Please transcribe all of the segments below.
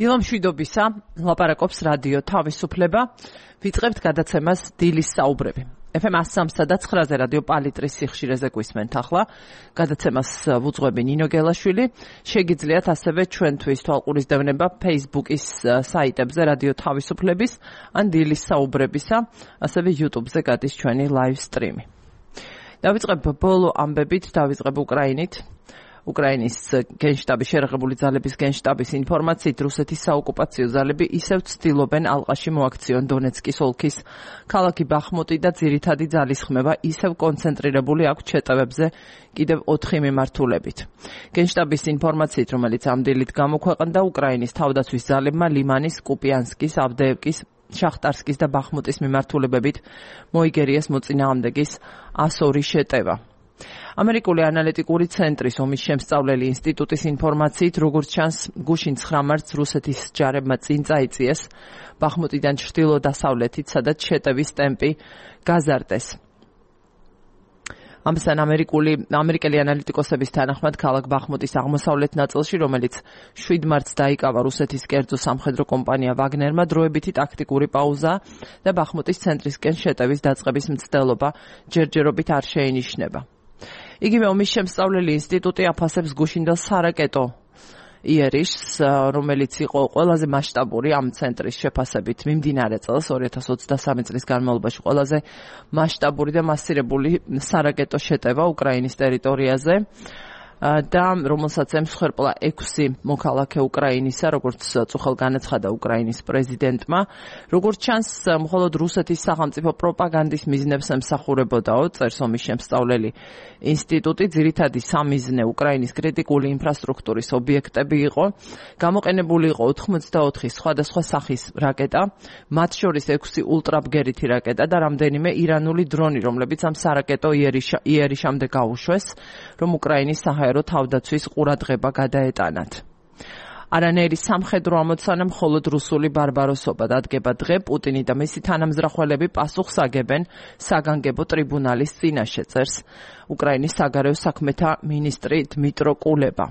დილამშვიდობისა, ლაპარაკობს რადიო თავისუფლება. ვიწყებთ გადაცემას დილის საუბრები. FM 103.9-ზე რადიო პალიტრის სიხშირეზე გვისმენთ ახლა. გადაცემას ვუძღვები ნინო გელაშვილი. შეგიძლიათ ასევე ჩვენთვის თვალყურისდევნება Facebook-ის საიტებზე რადიო თავისუფლების ან დილის საუბრებისა, ასევე YouTube-ზე გადის ჩვენი live stream-ი. დავიწყებ ბოლო ამბებით, დავიწყებ უკრაინით. უკრაინის გენშტაბის შერაღებული ძალების გენშტაბის ინფორმაციით რუსეთის საოკუპაციო ძალები ისევ ცდილობენ ალყაში მოაქციონ დონეცკის ოლქის ქალაქი ბახმუტი და ძირითადი ძალის ხმება ისევ კონცენტრირებული აქვს შეტევებზე კიდევ 4 მიმართულებით. გენშტაბის ინფორმაციით, რომელიც ამ დილით გამოქვეყნდა, უკრაინის თავდაცვის ძალებმა ლიმანის, კუპიანსკის, ავდეევკის, შახტარსკის და ბახმუტის მიმართულებებით მოიგერიეს მოწინააღმდეგის 102 შეტევა. ამერიკული ანალიტიკური ცენტრის ომის შემსწავლელი ინსტიტუტის ინფორმაციით, როგორც ჩანს, გუშინ 9 მარტს რუსეთის ჯარებმა წინ წაიწიეს ბახმუტიდან ჩრდილო-დასავლეთით, სადაც შეტევის ტემპი გაზარდეს. ამასთან ამერიკელი ანალიტიკოსების თანახმად ქალაქ ბახმუტის აღმოსავლეთ ნაწილში, რომელიც 7 მარტს დაიკავა რუსეთის კერძო სამხედრო კომპანია ვაგნერმა, დროებითი ტაქტიკური პაუზა და ბახმუტის ცენტრისკენ შეტევის დაწყების მცდელობა ჯერჯერობით არ შეინიშნება. იგივე ომის შემსწავლელი ინსტიტუტი აფასებს გუშინდელ სარაკეტო იერიშს, რომელიც იყო ყველაზე მასშტაბური ამ ცენტრის შეფასებით მიმდინარე წელს 2023 წლის განმავლობაში ყველაზე მასშტაბური და მასირებული სარაკეტო შეტევა უკრაინის ტერიტორიაზე და რომელსაც ემსხვერპლა 6 მოქალაქე უკრაინისა, როგორც წუხელ განაცხადა უკრაინის პრეზიდენტმა. როგორც ჩანს, მხოლოდ რუსეთის სახელმწიფო პროპაგანდის მიზნებს ემსახურებოდაო, წერს ომის შემსწავლელი ინსტიტუტი. ძირითადი სამიზნე უკრაინის კრიტიკული ინფრასტრუქტურის ობიექტები იყო. გამოყენებული იყო 84 სხვადასხვა სახის რაკეტა, მათ შორის 6 ულტრაბგერითი რაკეტა და რამდენიმე ირანული დრონი, რომლებიც ამ სარაკეტო იერიშამდე გაუშვეს, რომ უკრაინის საჰაერო თავდაცვის ყურადღება გადაეტანათ. არანაირი სამხედრო ამოცანა, მხოლოდ რუსული ბარბაროსობა დადგება დღე. პუტინი და მისი თანამზრახველები პასუხს აგებენ საგანგებო ტრიბუნალის წინაშე, წერს უკრაინის საგარეო საქმეთა მინისტრი დმიტრო კულება.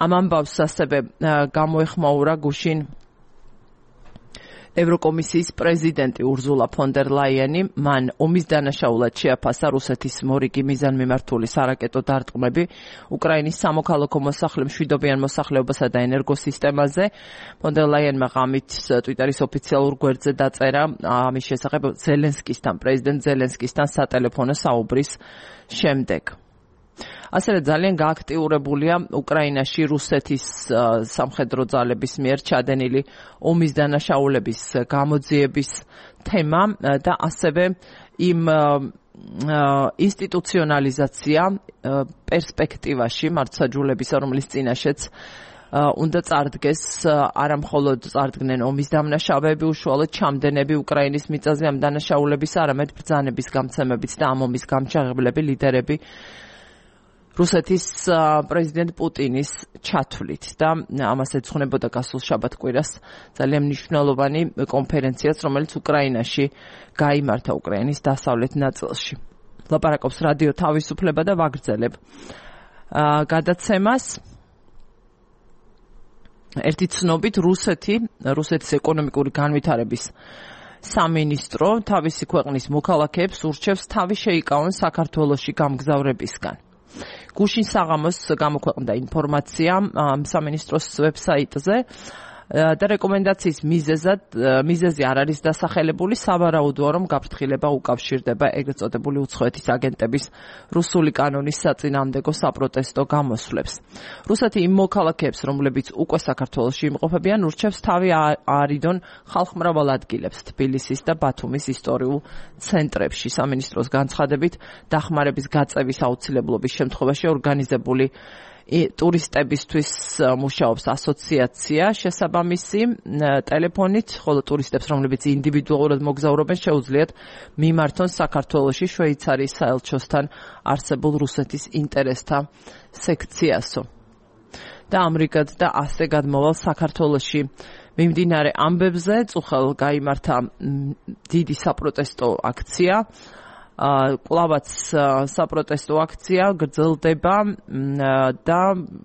ამ ამბავს ასევე გამოეხმაურა გუშინ ევროკომისიის პრეზიდენტი ურზულა ფონ დერ ლაიენი. მან ომის დანაშაულად შეაფასა რუსეთის მორიგი მიზანმიმართული სარაკეტო დარტყმები უკრაინის სამოქალაქო მოსახლე მშვიდობიან მოსახლეობასა და ენერგოსისტემაზე. ფონ დერ ლაიენმა ღამით ტვიტერის ოფიციალურ გვერდზე დაწერა ამის შესახებ პრეზიდენტ ზელენსკისთან სატელეფონო საუბრის შემდეგ. ასევე ძალიან გააქტიურებულია უკრაინაში რუსეთის სამხედრო ძალების მიერ ჩადენილი ომის დანაშაულების გამოძიების თემა და ასევე იმ ინსტიტუციონალიზაცია პერსპექტივაში მართლმსაჯულებისა, რომლის წინაშეც უნდა წარდგეს, არა მხოლოდ წარდგნენ ომის დამნაშავეები, უშუალოდ ჩამდენები უკრაინის მიწაზე ამ დანაშაულების, არამედ ბრძანების გამცემებით და ამ ომის გამჩაღებლები ლიდერები რუსეთის პრეზიდენტ პუტინის ჩათვლით და ამას ეძღვნებოდა გასულ შაბათ-კვირას ძალიან მნიშვნელოვანი კონფერენციაც, რომელიც უკრაინაში გაიმართა უკრაინის დასავლეთ ნაწილში. ლაპარაკობს რადიო თავისუფლება და ვაგრძელებ გადაცემას. ერთი ცნობით რუსეთის ეკონომიკური განვითარების სამინისტრო თავისი ქვეყნის მოქალაქეებს ურჩევს თავი შეიკავონ საქართველოში გამგზავრებისგან. გუშინ საღამოს გამოქვეყნდა ინფორმაცია სამინისტროს ვებსაიტზე და რეკომენდაციის მიზეზი არ არის დასახელებული, სავარაუდოა, რომ გაფრთხილება უკავშირდება ეგრეთ წოდებული უცხოეთის აგენტების რუსული კანონის საწინააღმდეგო საპროტესტო გამოსვლებს. რუსეთი იმ მოქალაქეებს, რომლებიც უკვე საქართველოში იმყოფებიან, ურჩევს თავი აარიდონ ხალხმრავალ ადგილებს თბილისის და ბათუმის ისტორიულ ცენტრებში. სამინისტროს განცხადებით, დახმარების გაწევის აუცილებლობის შემთხვევაში ორგანიზებული ტურისტებისთვის მუშაობს ასოციაცია შესაბამისი ტელეფონით, ხოლო ტურისტებს, რომლებიც ინდივიდუალურად მოგზაურობენ, შეუძლიათ მიმართონ საქართველოში შვეიცარიის საელჩოსთან არსებულ რუსეთის ინტერესთა სექციასო. და ამრიგად და ასე გადმოვალ საქართველოში მიმდინარე ამბებზე წუხელ გაიმართა დიდი საპროტესტო აქცია. კლავაც საპროტესტო აქცია გრძელდება და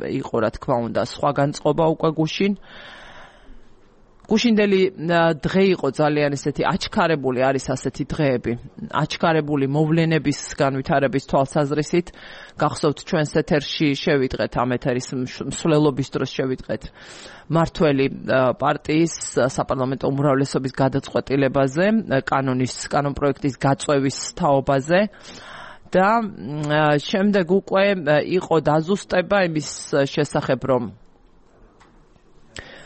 იყო რა თქმა უნდა სხვა განწყობა უკვე გუშინ გუშინდელი დღე იყო ძალიან ესეთი აჩქარებული არის ასეთი დღეები. აჩქარებული მოვლენების განვითარების თვალსაზრისით. გახსოვთ ჩვენს ეთერში შევიტყეთ ამ ეთერის მსვლელობის დროს შევიტყეთ მართველი პარტიის საპარლამენტო უმრავლესობის გადაწყვეტილებაზე, კანონ პროექტის გაწევის თაობაზე. და შემდეგ უკვე იყო დაზუსტება იმის შესახებ, რომ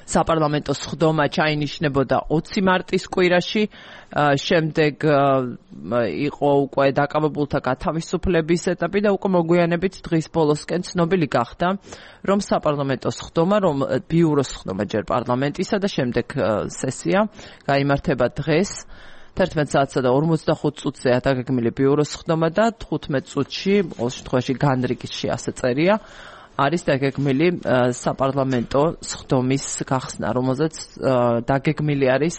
საპარლამენტო სხდომა ჩაინიშნებოდა 20 მარტის კვირაში, შემდეგ იყო უკვე დაკავებულთა გათავისუფლების ეტაპი და უკვე მოგვიანებით დღის ბოლოსკენ ცნობილი გახდა, რომ საპარლამენტო სხდომა, რომ ბიუროს სხდომა ჯერ პარლამენტისა და შემდეგ სესია გაიმართება დღეს 11 საათსა და 45 წუთზეა დაგეგმილი ბიუროს სხდომა და 15 წუთში, ყოველ შემთხვევაში განრიგში ასე წერია, არის დაგეგმილი საპარლამენტო სხდომის გახსნა, რომელზეც დაგეგმილი არის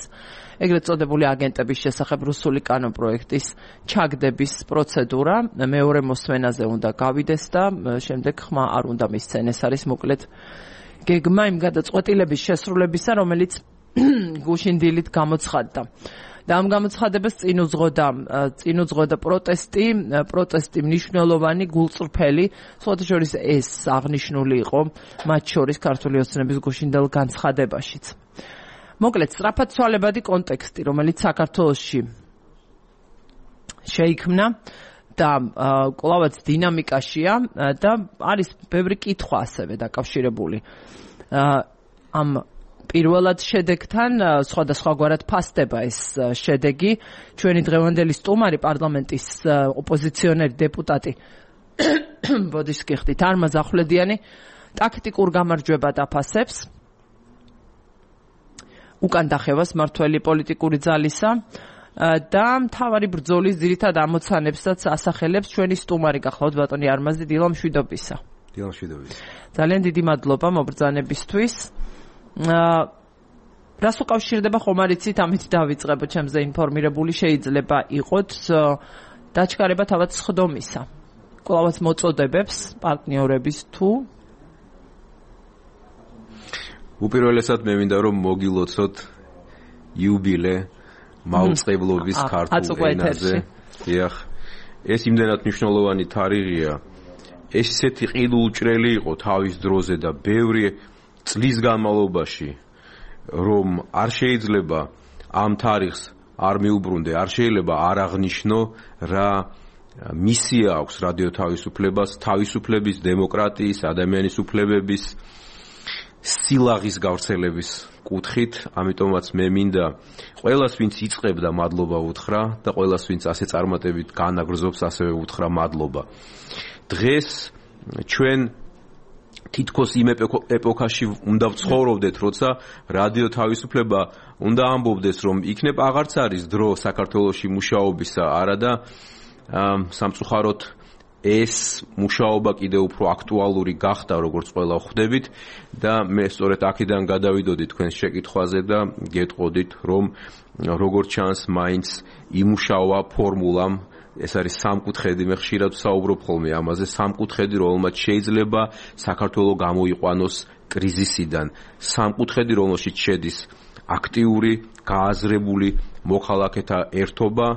ეგრეთ წოდებული აგენტების შესახებ რუსული კანონპროექტის ჩაგდების პროცედურა. მეორე მოსმენაზე უნდა გავიდეს და შემდეგ ხმა არ უნდა მისცენ. ეს არის მოკლედ გეგმა იმ გადაწყვეტილების შესრულებისა, რომელიც გუშინდილით გამოცხადდა. და ამ გამოცხადებას წინ უძღოდა პროტესტი მნიშვნელოვანი, გულწრფელი, სხვათა შორის ეს აღნიშნული იყო მათ შორის ქართული ოცნების გუშინდელ განცხადებაშიც. მოკლედ, სწრაფად ცვალებადი კონტექსტი, რომელიც საქართველოში შეიქმნა და კვლავაც დინამიკაშია და არის ბევრი კითხვა ასევე დაკავშირებული ამ პირველად შედეგთან, სხვადასხვაგვარად ფასდება ეს შედეგი. ჩვენი დღევანდელი სტუმარი პარლამენტის ოპოზიციონერი დეპუტატი ბოდიშ გიხდით არმაზ ახვლედიანი ტაქტიკურ გამარჯვებად აფასებს უკან დახევას მართველი პოლიტიკური ძალისა და მთავარი ბრძოლის ძირითად ამოცანებსაც ასახელებს ჩვენი სტუმარი გახლავთ ბატონი არმაზი დილა მშვიდობისა. ძალიან დიდი მადლობა მობრძანებისთვის. რას უკავშირდება ხომ არ იცით, ამით დავიწყებო, ჩემზე ინფორმირებული შეიძლება იყოთ დაჩქარება თავად სხდომისა. კვლავაც მოწოდებებს პარტნიორების თუ უპირველესად მე მინდა რომ მოგილოცოთ იუბილე მაუწყებლობის ქართულ ენაზე. ეს იმდენად მნიშვნელოვანი თარიღია. ეს ისეთი ყიდულჭრელი იყო თავის დროზე და ბევრი წლის განმავლობაში, რომ არ შეიძლება ამ თარიღს არ მიუბრუნდე, არ შეიძლება არ აღნიშნო რა მისია აქვს რადიო თავისუფლებას, თავისუფლების, დემოკრატიის, ადამიანის უფლებების, სილაღის გავრცელების კუთხით. ამიტომაც მე მინდა ყველას, ვინც იწყებდა, მადლობა უთხრა და ყველას, ვინც ასე წარმატებით განაგრძობს, ასევე უთხრა მადლობა. დღეს ჩვენ თითქოს იმ ეპოქაში უნდა ვცხოვრობდეთ, როცა რადიო თავისუფლება უნდა ამბობდეს, რომ იქნებ აღარც არის დრო საქართველოში მუშაობისა, არადა სამწუხაროდ ეს მუშაობა კიდევ უფრო აქტუალური გახდა, როგორც ყველა ხვდებით და მე სწორედ აქედან გადავიდოდი თქვენს შეკითხვაზე და გეტყოდით, რომ როგორც ჩანს მაინც იმუშავა ფორმულამ. ეს არის სამკუთხედი, მე ხშირად ვსაუბრობ ხოლმე ამაზე, სამკუთხედი, რომელმაც შეიძლება საქართველოს გამოიყვანოს კრიზისიდან. სამკუთხედი, რომელშიც შედის აქტიური, გააზრებული მოქალაქეთა ერთობა,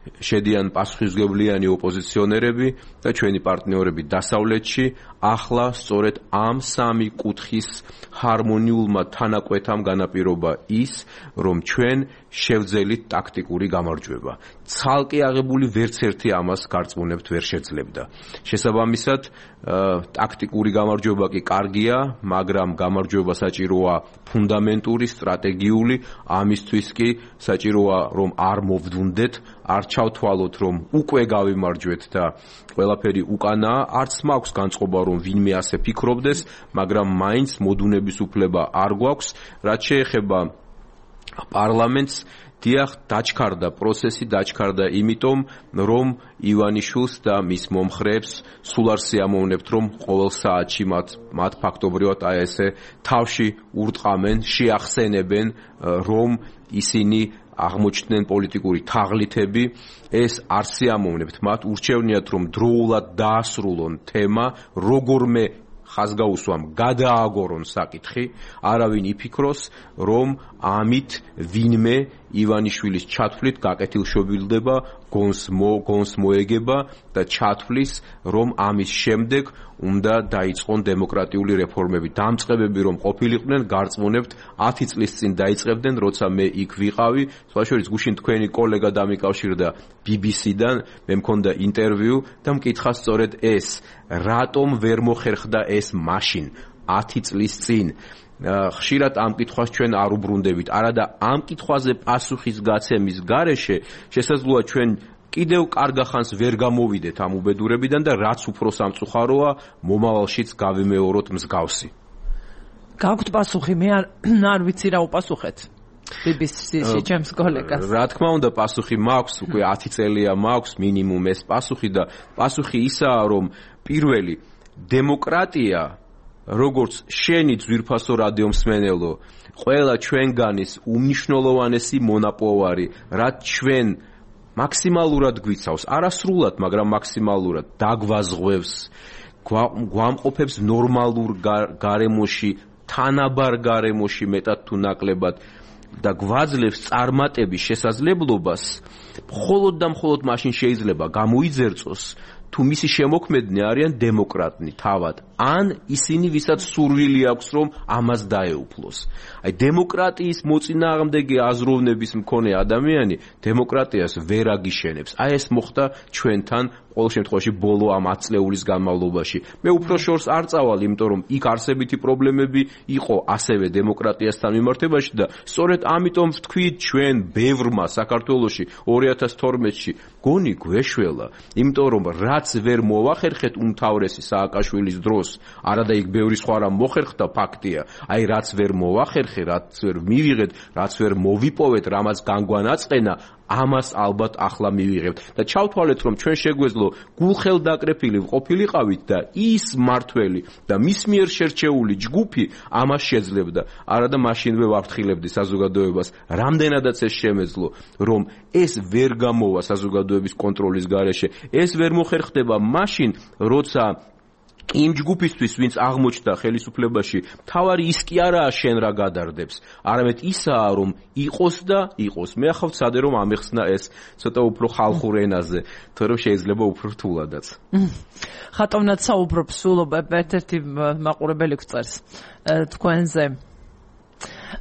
შედიან პასუხისმგებლიანი ოპოზიციონერები და ჩვენი პარტნიორები დასავლეთში. ახლა სწორედ ამ სამი კუთხის ჰარმონიულმა თანაკვეთამ განაპირობა ის, რომ ჩვენ შევძელით ტაქტიკური გამარჯვება. ცალკე აღებული ვერც ერთი ამას გარწმუნებთ ვერ შეძლებდა. შესაბამისად, ტაქტიკური გამარჯვება კი კარგია, მაგრამ გამარჯვება საჭიროა ფუნდამენტური, სტრატეგიული, ამისთვის კი საჭიროა რომ არ მოვდუნდეთ, არ ჩავთვალოთ რომ უკვე გავიმარჯვეთ და ყველაფერი უკანაა, არც მაქვს განწყობა რომ ვინმე ასე ფიქრობდეს, მაგრამ მაინც მოდუნების უფლება არ გვაქვს, რაც შეეხება პარლამენტს. დიახ, დაჩქარდა პროცესი, დაჩქარდა იმიტომ, რომ ივანიშვილს და მის მომხრეებს სულ არ სიამოვნებთ, რომ ყოველ საათში მათ ფაქტობრივად აი ესე თავში ურტყამენ, შეახსენებენ, რომ ისინი აღმოჩნდნენ პოლიტიკური თაღლითები. ეს არ სიამოვნებთ, მათ ურჩევნიათ, რომ დროულად დაასრულონ თემა, როგორმე ხაზგაუსვამ გადააგორონ საკითხი, არავინ იფიქროს, რომ ამით ვინმე ივანიშვილის ჩათვლით გაკეთილშობილდება, გონს მოეგება და ჩათვლის, რომ ამის შემდეგ უნდა დაიწყონ დემოკრატიული რეფორმები. დამწყებები რომ ყოფილიყვნენ, გარწმუნებთ 10 წლის წინ დაიწყებდნენ, როცა მე იქ ვიყავი. სხვა შორის გუშინ თქვენი კოლეგა დამიკავშირდა BBC-დან, მე მქონდა ინტერვიუ და მკითხა სწორედ ეს, რატომ ვერ მოხერხდა ეს მაშინ 10 წლის წინ. ხშირად ამ კითხვას ჩვენ არ უბრუნდებით. არადა ამ კითხვაზე პასუხის გაცემის გარეშე შესაძლოა ჩვენ კიდევ კარგახანს ვერ გამოვიდეთ ამ უბედურებიდან და რაც უფრო სამწუხაროა, მომავალშიც გავიმეოროთ მსგავსი. გაქვთ პასუხი? მე არ ვიცი რა უპასუხეთ. BBC-ში ჩემს კოლეგას. რა თქმა უნდა, პასუხი მაქვს, უკვე 10 წელია მაქვს მინიმუმ ეს პასუხი და პასუხი ისაა, რომ პირველი დემოკრატია, როგორც შენი ძვირფასო რადიომსმენელო, ყველა ჩვენგანის უმნიშვნელოვანესი მონაპოვარი, რაც ჩვენ მაქსიმალურად გვიცავს, არასრულად, მაგრამ მაქსიმალურად დაგვაზღვევს, გვამყოფებს ნორმალურ გარემოში, თანაბარ გარემოში მეტად თუ ნაკლებად და გვაძლევს წარმატების შესაძლებლობას, მხოლოდ და მხოლოდ მაშინ შეიძლება გამოიძერწოს, თუ მისი შემოქმედნი არიან დემოკრატნი თავად, ან ისინი, ვისაც სურვილი აქვს, რომ ამას დაეუფლოს. აი, დემოკრატიის მოწინააღმდეგე აზროვნების მქონე ადამიანი დემოკრატიას ვერ აგიშენებს. აი, ეს მოხდა ჩვენთან ყოველ შემთხვევაში ბოლო ამ 10 წლეულის განმავლობაში. მე უფრო შორს არ წავალ, იმიტომ რომ იქ არსებითი პრობლემები იყო ასევე დემოკრატიასთან მიმართებაში და სწორედ ამიტომ ვთქვით ჩვენ ბევრმა საქართველოში 2012-ში გონი გვეშველა, იმიტომ რომ რაც ვერ მოვახერხეთ უმთავრესი სააკაშვილის დროს, არადა იქ ბევრი სხვა რამ მოხერხდა ფაქტია, აი რაც ვერ მოვახერხე, რაც ვერ მივიღეთ, რაც ვერ მოვიპოვეთ, რამაც განგვანაწყენა, ამას ალბათ ახლა მივიღებთ და ჩავთვალეთ რომ ჩვენ შეგვეძლო გულხელდაკრეფილი ყოფილიყავით და ის მართველი და მის მიერ შერჩეული ჯგუფი ამას შეძლებდა. არადა მაშინვე ვაფრთხილებდი საზოგადოებას, რამდენადაც ეს შემეძლო, რომ ეს ვერ გამოვა საზოგადოების კონტროლის გარეშე, ეს ვერ მოხერხდება მაშინ, როცა იმ ჯგუფისთვის, ვინც აღმოჩნდა ხელისუფლებაში, თავარი ის კი არაა შენ რა გადარდებს, არამედ ისაა, რომ იყოს და იყოს. მე ახავ ვცადე რომ ამეხსნა ეს ცოტა უფრო ხალხურ ენაზე, თორემ შეიძლება უფრო რთულადაც. ხატოვნად საუბრობ სულ ერთ-ერთი მაყურებელი გვწერს თქვენზე.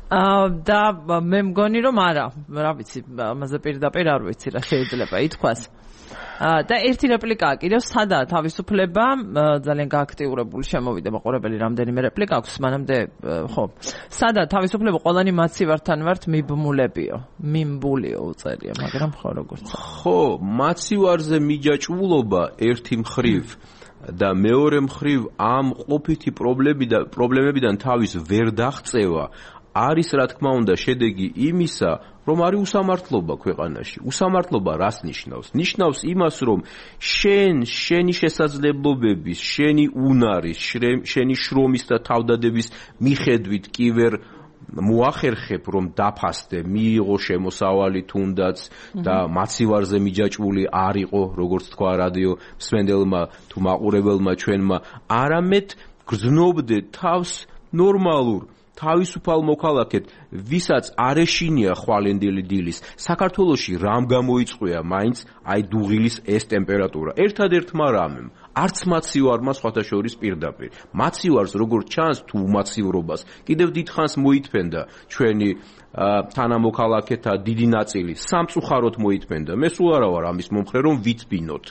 და მე მგონი რომ არა, რა ვიცი, ამაზე პირდაპირ არ ვიცი რა შეიძლება ითქვას. და ერთი რეპლიკაა კიდევ, სადაა თავისუფლება, ძალიან გააქტიურებული შემოვიდა მაყურებელი, რამდენიმე რეპლიკა აქვს, მანამდე ხო. სადაა თავისუფლება, ყველანი მაცივართან ვართ მიბმულებიო, მიმბულიო უწერია, მაგრამ ხო როგორც. ხო, მაცივარზე მიჯაჭვულობა ერთი მხრივ და მეორე მხრივ ამ ყოფითი პრობლემებიდან თავის ვერ დაღწევა არის რა თქმა უნდა შედეგი იმისა, რომ არის უსამართლობა ქვეყანაში. უსამართლობა რას ნიშნავს? ნიშნავს იმას, რომ შენი შესაძლებლობების, შენი უნარის, შენი შრომის და თავდადების მიხედვით კი ვერ მოახერხებ, რომ დაფასდე, მიიღო შემოსავალი თუნდაც და მაცივარზე მიჯაჭვული არ იყო, როგორც თქვა რადიო მსმენელმა თუ მაყურებელმა ჩვენმა, არამედ გრძნობდე თავს ნორმალურ თავისუფალ მოქალაქედ, ვისაც არ ეშინია ხვალენდილი დილის, საქართველოში რამ გამოიწყვია მაინც აი დუღილის ეს ტემპერატურა. ერთადერთმა რამემ, არც მაცივარმა სხვათა შორის პირდაპირ. მაცივარს როგორც ჩანს თუ უმაცივრობას, კიდევ დიდხანს მოითფენდა ჩვენი თანამოქალაქეთა დიდი ნაწილი, სამწუხაროდ მოითფენდა. მე სულ არა ვარ ამის მომხრე, რომ ვიცბინოთ.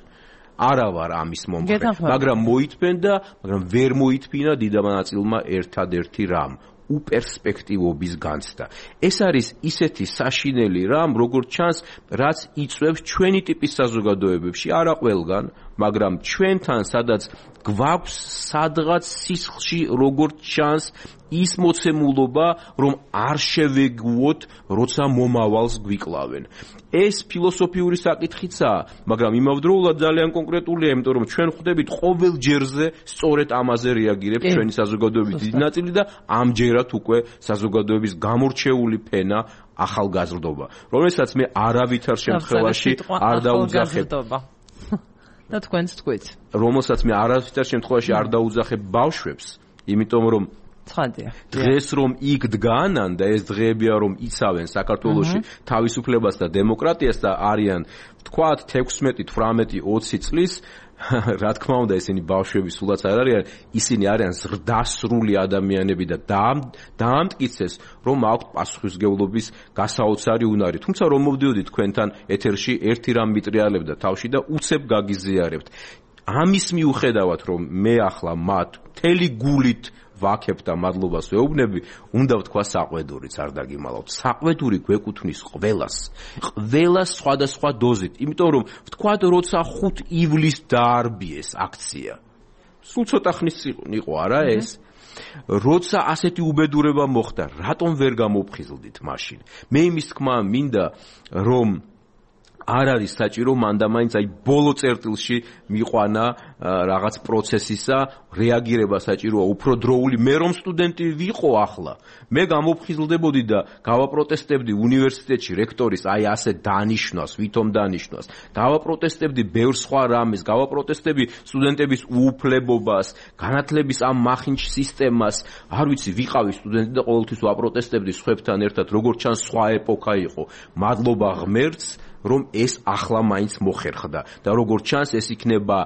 არა ვარ ამის მომხრე, მაგრამ მოითფენდა, მაგრამ ვერ მოითფინა დიდმა ნაწილმა ერთადერთი რამ. უპერსპექტივობის განცდა. ეს არის ისეთი საშინელი რამ, როგორც ჩანს, რაც იწვევს ჩვენი ტიპის საზოგადოებებში, არა ყველგან, მაგრამ ჩვენთან, სადაც გვაქვს სადღაც სისხლში, როგორც ჩანს, ის მოცემულობა, რომ არ შევეგუოთ, როცა მომავალს გვიკლავენ. ეს ფილოსოფიური საკითხიცაა, მაგრამ იმავდროულად ძალიან კონკრეტულია, იმიტომ რომ ჩვენ ხვდებით ყოველ ჯერზე სწორედ ამაზე რეაგირებს ჩვენი საზოგადოების დიდი ნაწილი და ამჯერად უკვე საზოგადოების გამორჩეული ფენა ახალგაზრდობა, რომელსაც მე არავითარ შემთხვევაში არ დაუძახებ. და თქვენც თქვით. რომელსაც მე არასდროს შემთხვევაში არ დაუძახებ ბავშვებს, იმიტომ რომ ცხადია. დღეს რომ იქ დგანან და ეს დღეებია რომ იცავენ საქართველოში თავისუფლებას და დემოკრატიას და არიან თქვათ 16, 18, 20 წლის რა თქმა უნდა ესენი ბავშვები სულაც არ არიან, ისინი არიან ზრდასრული ადამიანები და დაამტკიცეს რომ აქვთ პასუხისმგებლობის გასაოცარი უნარი. თუმცა რომ მოვდიოდი თქვენთან ეთერში ერთი რამ მიტრიალებდა თავში და უცებ გაგიზიარებთ. ამის მიუხედავად რომ მე ახლა მათ მთელი გულით ვაქებ და მადლობას ვეუბნები, უნდა ვთქვა საყვედურიც არ დაგიმალავთ. საყვედური გვეკუთვნის ყველას სხვადასხვა დოზით, იმიტომ რომ ვთქვათ, როცა 5 ივლისს დაარბიეს აქცია. სულ ცოტა ხნის იყო არა ეს? როცა ასეთი უბედურება მოხდა, რატომ ვერ გამოფხიზლდით მაშინ? მე იმის თქმა მინდა, რომ არ არის საჭირო მანდამაინც აი ბოლო წერტილში მიყვანა რაღაც პროცესისა რეაგირება საჭიროა უფრო დროული. მე რომ სტუდენტი ვიყო ახლა, მე გამოფხიზლდებოდი და გავაპროტესტებდი უნივერსიტეტში რექტორის აი ასე დანიშნვას, ვითომ დანიშნვას. გავაპროტესტებდი ბევრ სხვა რამეს, გავაპროტესტებდი სტუდენტების უუფლებობას, განათლების ამ მახინჯ სისტემას. არ ვიცი, ვიყავი სტუდენტი და ყოველთვის ვაპროტესტებდი სხვებთან ერთად, როგორც ჩანს სხვა ეპოქა იყო. მადლობა ღმერთს რომ ეს ახლა მაინც მოხერხდა და როგორც ჩანს ეს იქნება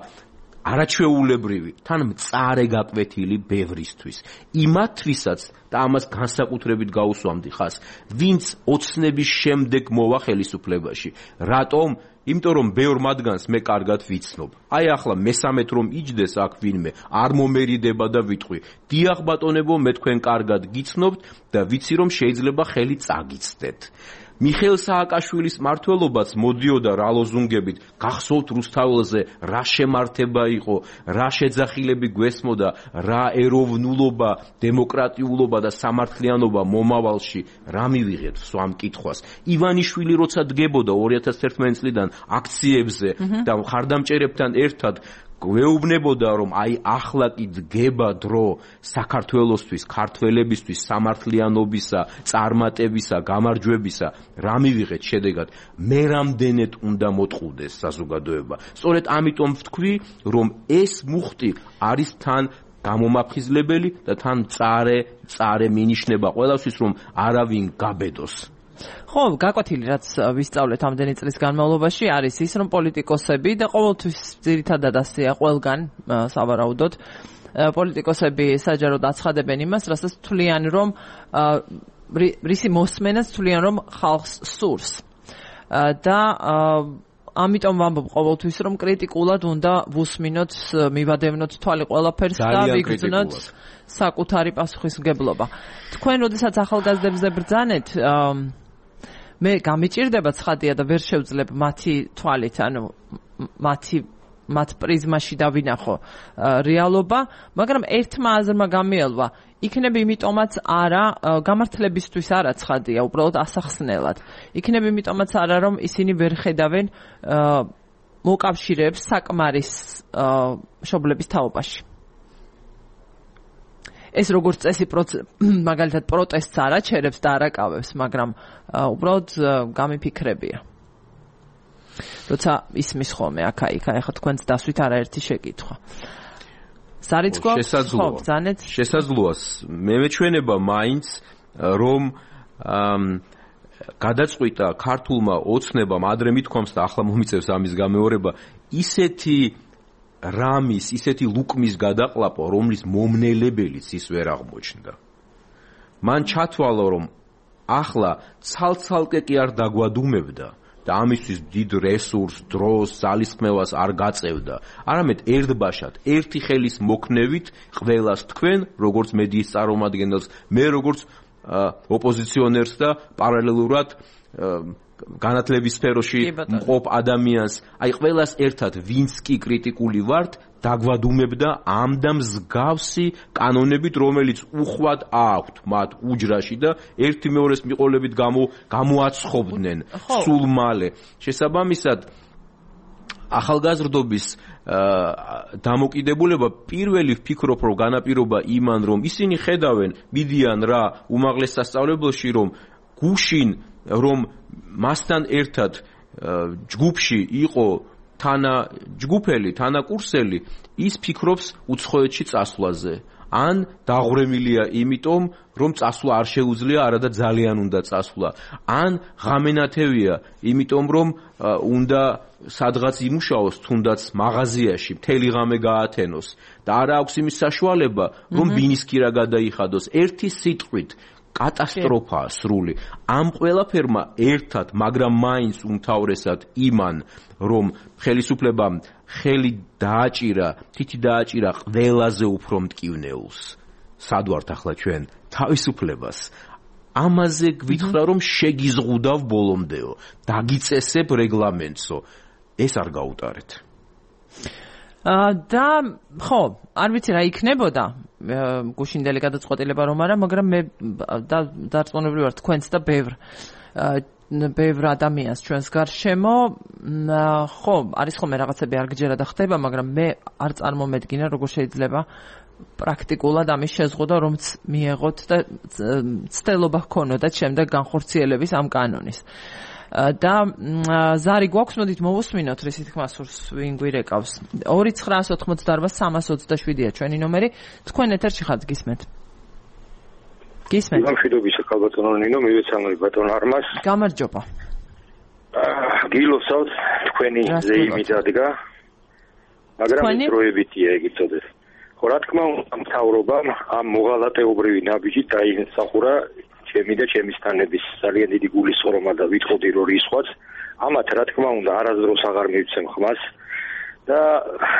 არაჩვეულებრივი, თან მწარე გაკვეთილი ბევრისთვის. იმათვისაც და ამას განსაკუთრებით გაუსვამდი ხას, ვინც ოცნების შემდეგ მოვა ხელისუფლებაში. რატომ? იმიტომ რომ ბევრ მათგანს მე კარგად ვიცნობ. აი ახლა მესამეთ რომ იჯდეს აქ ვინმე, არ მომერიდება და ვიტყვი. დიახ ბატონებო, მე თქვენ კარგად გიცნობთ და ვიცი რომ შეიძლება ხელი წაგიცდეთ. მიხეილ სააკაშვილის მმართველობაც მოდიოდა რა ლოზუნგებით, გახსოვთ რუსთაველზე რა შემართება იყო, რა შეძახილები გვესმოდა, რა ეროვნულობა, დემოკრატიულობა და სამართლიანობა მომავალში, რა მივიღეთ სვამ კითხვას. ივანიშვილი როცა დგებოდა 2011 წლიდან აქციებზე და მხარდამჭერებთან ერთად გვეუბნებოდა რომ აი ახლა კი დგება დრო საქართველოსთვის, ქართველებისთვის სამართლიანობისა, წარმატებისა, გამარჯვებისა. რა მივიღეთ შედეგად? მე რამდენად უნდა მოტყუდეს საზოგადოება. სწორედ ამიტომ ვთქვი, რომ ეს მუხტი არის თან გამომაფხიზლებელი და თან წარე მინიშნება ყველასთვის, რომ არავინ გაბედოს. ხო, გაკვეთილი რაც ვისწავლეთ ამდენი წლის განმავლობაში არის ის, რომ პოლიტიკოსები და ყოველთვის ძირითადად ასეა ყველგან სავარაუდოდ პოლიტიკოსები საჯაროდ აცხადებენ იმას, რასაც თვლიან, რომ რისი მოსმენაც თვლიან, რომ ხალხს სურს. და ამიტომ ვამბობ ყოველთვის, რომ კრიტიკულად უნდა ვუსმინოთ, მივადევნოთ თვალი ყველაფერს და ვიგრძნოთ საკუთარი პასუხისმგებლობა. თქვენ როდესაც ახალგაზრდებზე ბრძანეთ, მე გამიჭირდება ცხადია და ვერ შევძლებ მათი თვალით, ანუ მათ პრიზმაში დავინახო რეალობა, მაგრამ ერთმა აზრმა გამიელვა, იქნებ იმიტომაც არა, გამართლებისთვის არა ცხადია, უბრალოდ ასახსნელად. იქნებ იმიტომაც არა, რომ ისინი ვერ ხედავენ მოკავშირეებს საკმარის მშობლების თაობაში. ეს როგორც წესი მაგალითად პროტესტს არ აჩერებს და არ აკავებს, მაგრამ უბრალოდ გამიფიქრებია. როცა ისმის ხოლმე აქა-იქ, ახლა თქვენც დასვით არაერთი შეკითხვა. სარიცხვო, ხო, ბრძანეთ. შესაძლოა. მე მეჩვენება მაინც რომ გადაწყვიტა ქართულმა ოცნებამ ადრე მithქვამს და ახლა მომიწევს ამის გამეორება, ისეთი ლუკმის გადაყლაპო, რომლის მომნელებელიც ის ვერ აღმოჩნდა. მან ჩათვალა, რომ ახლა ცალ-ცალკე კი არ დაგვადუმებდა და ამისთვის დიდ რესურს, დროს, ძალისხმევას არ გაწევდა. არამედ ერთბაშად, ერთი ხელის მოქნევით ყველას თქვენ, როგორც მედიის წარმომადგენელს, მე როგორც ოპოზიციონერს და პარალელურად განათლების სფეროში მყოფ ადამიანს, აი ყველას ერთად ვინც კი კრიტიკული ვართ, დაგვადუმებდა ამ და მსგავსი კანონებით, რომელიც უხვად აქვთ მათ უჯრაში და ერთი მეორეს მიყოლებით გამოაცხობდნენ სულ მალე. შესაბამისად, ახალგაზრდობის დამოკიდებულება პირველი ვფიქრობ, რომ განაპირობა იმან, რომ ისინი ხედავენ, მიდიან რა უმაღლეს სასწავლებელში, რომ გუშინ რომ მასთან ერთად ჯგუფში იყო ჯგუფელი, თანაკურსელი ის ფიქრობს უცხოეთში წასვლაზე. ან დაღვრემილია იმიტომ, რომ წასვლა არ შეუძლია, არადა ძალიან უნდა წასვლა. ან ღამენათევია, იმიტომ რომ უნდა სადღაც იმუშაოს, თუნდაც მაღაზიაში მთელი ღამე გაათენოს და არ აქვს იმის საშუალება, რომ ბინისკირა გადაიხადოს. ერთი სიტყვით კატასტროფაა სრული. ამ ყველაფერმა ერთად, მაგრამ მაინც უმთავრესად იმან, რომ ხელისუფლებამ ხელი დააჭირა, თითი დააჭირა ყველაზე უფრო მტკივნეულს. სად ვართ ახლა ჩვენ? თავისუფლებას. ამაზე გვითხრა, რომ შეგიზღუდავ ბოლომდეო, დაგიწესებ რეგლამენტსო. ეს არ გაუტარეთ. და ხო, არ ვიცი რა იქნებოდა გუშინდელი გადაწყვეტილება რომ არა, მაგრამ მე დარწმუნებული ვარ თქვენც და ბევრ ადამიანს ჩვენს გარშემო, ხო, არის ხოლმე რაღაცები არ გჯერა და ხდება, მაგრამ მე არ წარმომედგინა როგორ შეიძლება პრაქტიკულად ამის შეზღუდვა რომც მიეღოთ და ცდელობა ჰქონოდათ შემდეგ განხორციელების ამ კანონის. და ზარი გვაქვს, მოდით მოვუსმინოთ რისი თქმა სურს ვინ გვირეკავს. 2988-327-ია ჩვენი ნომერი. თქვენ ეთერში ხართ, გისმენთ? გისმენთ? გამშვიდობისა ქალბატონო ნინო, მივეცანოი ბატონ არმას. გამარჯობა. გილოცავთ თქვენი ზეიმი დადგა. მაგრამ დროებითია ეგ იცოდეთ. ხო, რა თქმა უნდა, მთავრობამ ამ მოღალატეობრივი ნაბიჯით დაიმსახურა ჩემი და ჩემი სტანების ძალიან დიდი გულისხმობა და ვითხოვდი რომ რისხვაც ამათ რა თქმა უნდა არასდროს აღარ მივცემ ხმას და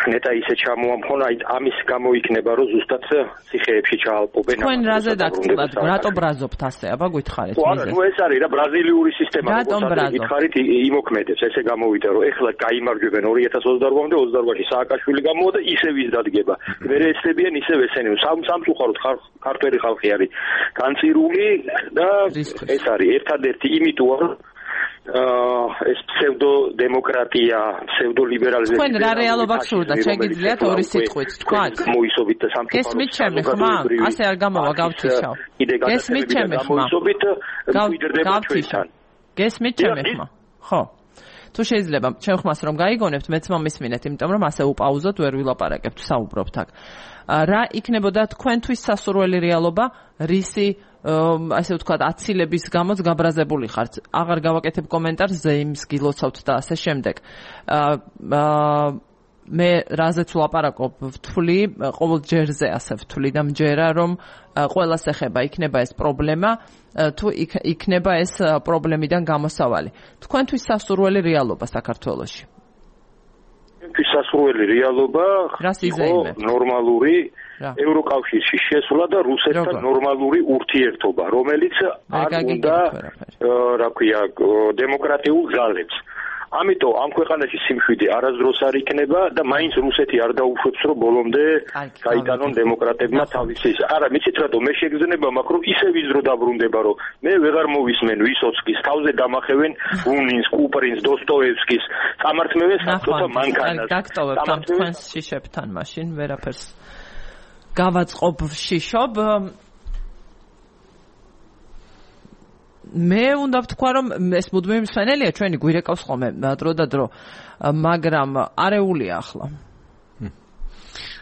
ნეტა ისე ჩამოამხონა ამის გამო იქნება რომ ზუსტად ციხეებში ჩაალპობენ თქვენ რაზე დაგწყვეტ რატო ბრაზობთ ასე აბა გითხარით მიზეზი ხო ეს არის რა ბრაზილიური სისტემა როგორც გითხარით იმოქმედებს ესე გამოვიდა რომ ეხლა გაიმარჯვებენ 2028-მდე 28-ში სააკაშვილი გამოვა და ისევ ის დადგება მე ესებიან ისევ ესენი სამწუხაროდ ქართველი ხალხი არის განწირული და ეს არის ერთადერთი იმიტოა რომ ეს ფსევდო-დემოკრატია, ფსევდო-ლიბერალიზმი. თქვენ რა რეალობა გსურდა, შეგიძლიათ ორი სიტყვით თქვათ? მოისობით და სამწუხაროდ. გესმით ჩემი ხმა? ასე არ გამოვა გავთიშავ. გესმით ჩემი ხმა? გავთიშავ. გესმით ჩემი ხმა? ხო. თუ შეიძლება ჩემ ხმას რომ გაიგონებთ, მეც მომისმინეთ, იმიტომ რომ ასე უპაუზოთ, ვერ ვილაპარაკებთ, საუბრობთ აქ. რა იქნებოდა თქვენთვის სასურველი რეალობა, რისი ასე ვთქვათ, აცილების გამოც გაბრაზებული ხართ. აღარ გავაკეთებ კომენტარს, ზეიმს გილოცავთ და ასე შემდეგ. მე რაზეც ვლაპარაკობ, ვთვლი, ყოველ ჯერზე ასე ვთვლი და მჯერა, რომ ყველას ეხება, იქნება ეს პრობლემა, თუ იქნება ეს პრობლემიდან გამოსავალი. თქვენთვის სასურველი რეალობა საქართველოში? თქვენთვის სასურველი რეალობა ნორმალური ევროკავშირში შესვლა და რუსეთთან ნორმალური ურთიერთობა, რომელიც არ უნდა, რა ქვია, დემოკრატიულ ძალებს. ამიტომ ამ ქვეყანაში სიმშვიდე არასდროს არ იქნება და მაინც რუსეთი არ დაუშვებს, რომ ბოლომდე გაიტანონ დემოკრატებმა თავისი. არა, მიცით რატომ მე შეგრძნება მაქვს, რომ ისევ ის დრო დაბრუნდება, რომ მე ვეღარ მოვისმენ ვისოცკის, თავზე დამახევენ ბუნინს, კუპრინს, დოსტოევსკის, წამართმევენ საბჭოთა მანქანას. გაგტოვებთ ამ თქვენს შიშებთან მაშინ ვერაფერს გავაწყობ შიშობ. მე უნდა ვთქვა, რომ ეს მუდმივი მსვენელია ჩვენი გვირეკავს ხოლმე დრო და დრო, მაგრამ არეულია ახლა.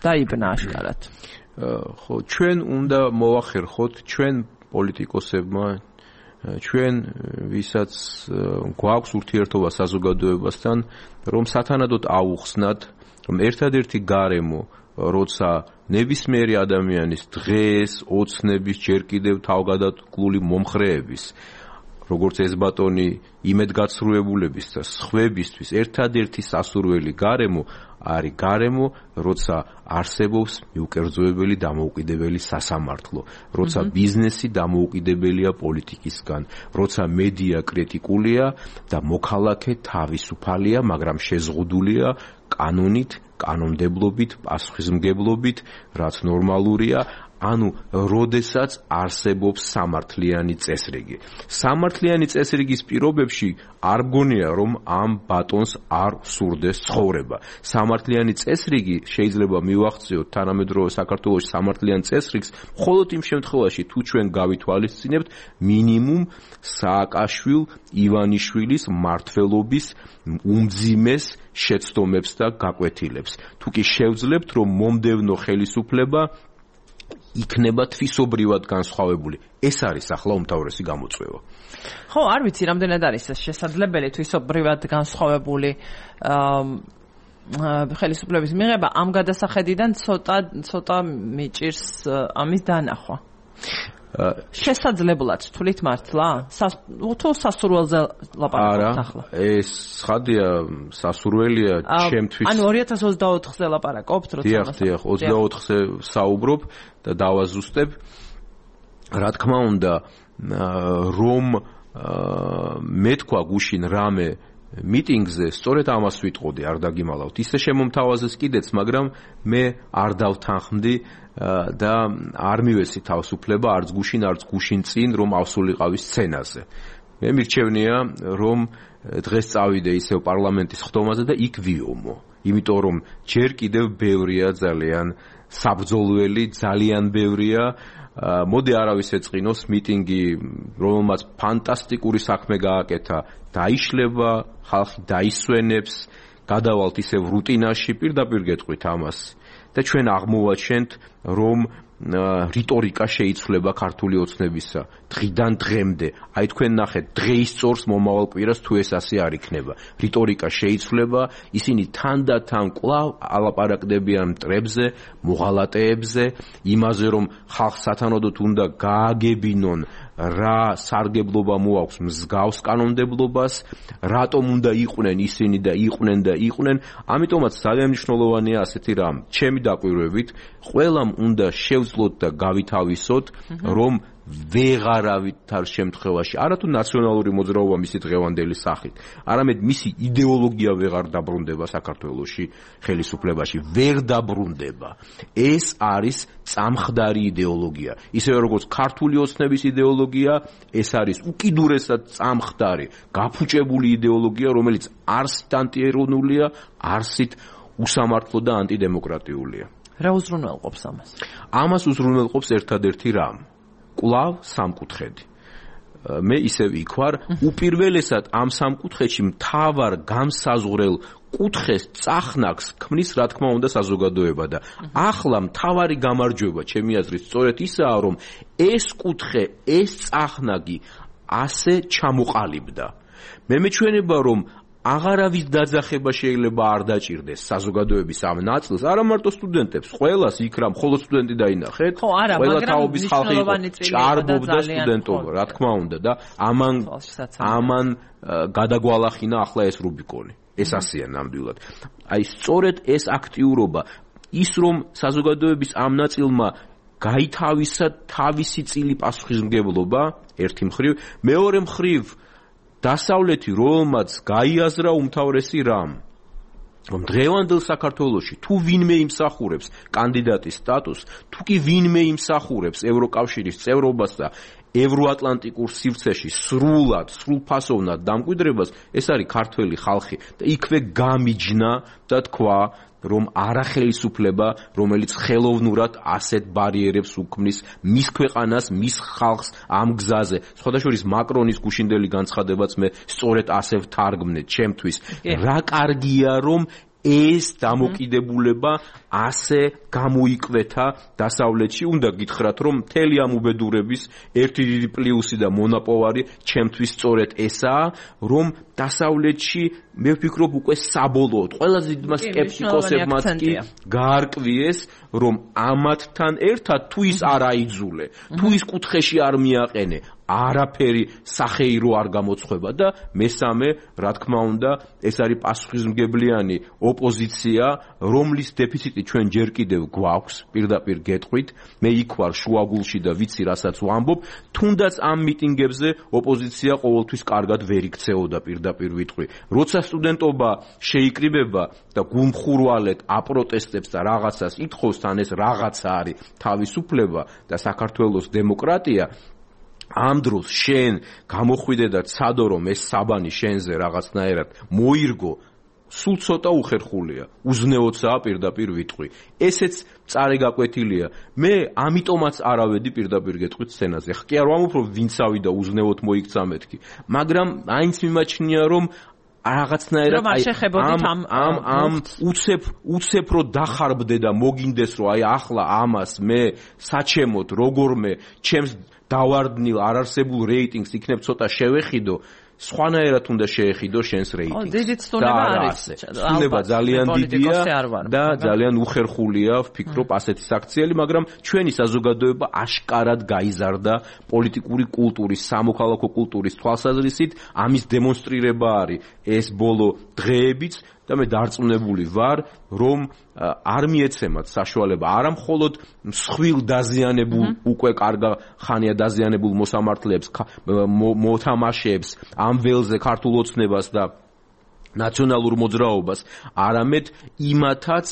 დაიბნა აშკარად. ხო, ჩვენ უნდა მოვახერხოთ ჩვენ პოლიტიკოსებმა, ჩვენ ვისაც გვაქვს ურთიერთობა საზოგადოებასთან, რომ სათანადოდ აუხსნათ, რომ ერთადერთი გარემო როცა ნებისმიერი ადამიანის დღეს, ოცნების, ჯერ კიდევ თავგადასავლული მომხრეების, როგორც ეს ბატონი იმედგაცრუებულების და სხვებისთვის ერთადერთი სასურველი გარემო არის გარემო, როცა არსებობს მიუკერძოებელი დამოუკიდებელი სასამართლო, როცა ბიზნესი დამოუკიდებელია პოლიტიკისგან, როცა მედია კრიტიკულია და მოქალაქე თავისუფალია, მაგრამ შეზღუდულია კანონით, კანონმდებლობით, პასუხისმგებლობით, რაც ნორმალურია. ანუ როდესაც არსებობს სამართლიანი წესრიგი. სამართლიანი წესრიგის პირობებში არ მგონია რომ ამ ბატონს არ სურდეს ცხოვრება. სამართლიანი წესრიგი შეიძლება მივახციოთ თანამედროვე საქართველოს სამართლიან წესრიგს მხოლოდ იმ შემთხვევაში თუ ჩვენ გავითვალისწინებთ მინიმუმ სააკაშვილ ივანიშვილის მმართველობის უმძიმეს შეცდომებს და გაკვეთილებს. თუ კი შევძლებთ რომ მომდევნო ხელისუფლება იქნება თვისობრივად განსხვავებული. ეს არის ახლა უმთავრესი გამოწვევა. ხო, არ ვიცი, რამდენად არის ეს შესაძლებელი თვისობრივად განსხვავებული ხელისუფლების მიღება. ამ გადასახედიდან ცოტა მიჭირს ამის დანახვა. შესაძლებლად თვლით მართლა? თუ სასურველზე ლაპარაკობთ ახლა? ეს ხადია, სასურველია ჩემთვის. ანუ 2024-ზე ლაპარაკობთ, როცა დიახ, 24-ზე საუბრობ და დავაზუსტებ. რა თქმა უნდა, რომ მე თქვა გუშინ რამე მიტინგზე, სწორედ ამას ვიტყოდი, არ დაგიმალავთ. ისე შემომთავაზეს კიდეც, მაგრამ მე არ დავთანხმდი და არ მივეცი თავისუფლება არც გუშინ წინ რომ ავსულიყავი სცენაზე. მე მირჩევნია რომ დღეს წავიდე ისევ პარლამენტის ხდომაზე და იქ ვიომო. იმიტომ რომ ჯერ კიდევ ბევრია ძალიან საბრძოლველი, ძალიან ბევრია. მოდი არავის ეწყინოს მიტინგი, რომელმაც ფანტასტიკური საქმე გააკეთა, დაიშლება, ხალხი დაისვენებს, გადავალთ ისევ რუტინაში, პირდაპირ გეტყვით ამას. და ჩვენ აღმოვაჩენთ, რომ რიტორიკა შეიცვლება ქართული ოცნებისა დღიდან დღემდე. აი თქვენ ნახეთ, დღეისწორს მომავალ კვირას თუ ეს ასე არ იქნება. რიტორიკა შეიცვლება, ისინი თანდათან კვლავ ალაპარაკდებიან მტრებზე, მოღალატეებზე, იმაზე რომ ხალხს სათანადოდ უნდა გააგებინონ რა სარგებლობა მოაქვს მსგავს კანონმდებლობას, რატომ უნდა იყვნენ ისინი და იყვნენ. ამიტომაც ძალიან მნიშვნელოვანია ასეთი რამ. ჩემი დაკვირვებით, ყველამ უნდა შევძლოთ და გავითავისოთ, რომ ვეღარავით არ შემთხვევაში, არათუ ნაციონალური მოძრაობა მისი დღევანდელი სახით, არამედ მისი იდეოლოგია ვეღარ დაბრუნდება საქართველოში ხელისუფლებაში, ვერ დაბრუნდება. ეს არის წამხდარი იდეოლოგია. ისევე როგორც ქართული ოცნების იდეოლოგია, ეს არის უკიდურესად წამხდარი, გაფუჭებული იდეოლოგია, რომელიც არსით ანტიეროვნულია, არსით უსამართლო და ანტიდემოკრატიულია. რა უზრუნველყოფს ამას? ამას უზრუნველყოფს ერთადერთი რამ. კვლავ სამკუთხედი. მე ისევ იქ ვარ, უპირველესად ამ სამკუთხედში მთავარ გამსაზღვრელ კუთხეს წახნაგს ქმნის რა თქმა უნდა საზოგადოება და ახლა მთავარი გამარჯვება ჩემი აზრით სწორედ ისაა, რომ ეს კუთხე, ეს წახნაგი ასე ჩამოყალიბდა. მე მეჩვენება, რომ აღარავის დაძახება შეიძლება არ დაჭირდეს საზოგადოების ამ ნაწილს, არა მარტო სტუდენტებს, ყველას იქ რა მხოლოდ სტუდენტი დაინახეთ, ყველა თაობის ხალხი ჭარბობდა სტუდენტობა, რა თქმა უნდა და ამან გადაგვალახინა ახლა ეს რუბიკონი. ეს ასეა ნამდვილად. აი სწორედ ეს აქტიურობა, ის რომ საზოგადოების ამ ნაწილმა გაითავისა თავისი წილი პასუხისმგებლობა ერთი მხრივ, მეორე მხრივ დასავლეთი რომელმაც გაიაზრა უმთავრესი რამ, რომ დღევანდელ საქართველოში თუ ვინმე იმსახურებს კანდიდატის სტატუსს, თუ კი ვინმე იმსახურებს ევროკავშირის წევრობას და ევროატლანტიკურ სივრცეში სრულფასოვნად დამკვიდრებას, ეს არის ქართველი ხალხი და იქვე გამიჯნა და თქვა, რომ არახელისუფლება, რომელიც ხელოვნურად ასეთ ბარიერებს უქმნის მის ქვეყანას, მის ხალხს ამ გზაზე. სხვადასხვა მაკრონის გუშინდელი განცხადებაც მე სწორედ ასე ვთარგმნე ჩემთვის. რა კარგია, რომ ეს დამოკიდებულება ასე გამოიკვეთა დასავლეთში. უნდა გითხრათ, რომ მთელი ამ უბედურების ერთი დიდი პლუსი და მონაპოვარი ჩემთვის სწორედ ესაა, რომ დასავლეთში მე ვფიქრობ უკვე საბოლოოდ ყველაზე დიდმა სკეპტიკოსებმაც კი გაარკვიეს, რომ ამათთან ერთად თუ ის არ აიძულე, თუ ის კუთხეში არ მიაყენე, არაფერი სახეირო არ გამოცხება და მესამე, რა თქმა უნდა, ეს არის პასუხისმგებლიანი ოპოზიცია, რომლის დეფიციტი ჩვენ ჯერ კიდევ გვაქვს, პირდაპირ გეტყვით, მე იქ ვარ შუაგულში და ვიცი რასაც ვამბობ, თუნდაც ამ მიტინგებზე ოპოზიცია ყოველთვის კარგად ვერ იქცეოდა, პირდაპირ ვიტყვი. როცა სტუდენტობა შეიკრიბება და გულმხურვალედ აპროტესტებს და რაღაცას ითხოვს, თან ეს რაღაცა არის თავისუფლება და საქართველოს დემოკრატია, ამ დროს შენ გამოხვიდე და ცადო რომ ეს საბანი შენზე რაღაცნაირად მოირგო, სულ ცოტა უხერხულია, უზნეოცაა პირდაპირ ვიტყვი. ესეც წარეgaკვეთილია. მე ამიტომაც არავედი პირდაპირ გეტყვით სცენაზე. კი არ ვამბობ რომ ვინცავი და უზნეოდ მოიქცა მეთქი, მაგრამ აინც მიმაჩნია რომ რაღაცნაირად ამ უცებ რო დახარბდე და მოგინდეს რომ აი ახლა ამას მე საჩემოდ როგორმე ჩემს დავარდნილ არარსებულ რეიტინგს იქნებ ცოტა შევეხიდო, სხვანაირად უნდა შეეხიდო შენს რეიტინგს. დიდიც ცნება არის. ცნება ძალიან დიდია და ძალიან უხერხულია, ვფიქრობ, ასეთი საქციელი, მაგრამ ჩვენი საზოგადოება აშკარად გაიზარდა პოლიტიკური კულტურის, სამოქალაქო კულტურის თვალსაზრისით, ამის დემონსტრირება არის ეს ბოლო დღეებიც და მე დარწმუნებული ვარ, რომ არ მიეცემათ საშუალება არა მხოლოდ მსხვილ დაზიანებულ უკვე კარგა ხანია დაზიანებულ მოსამართლეებს მოთამაშეებს ამ ველზე ქართულ ოცნებას და ნაციონალურ მოძრაობას, არამედ იმათაც,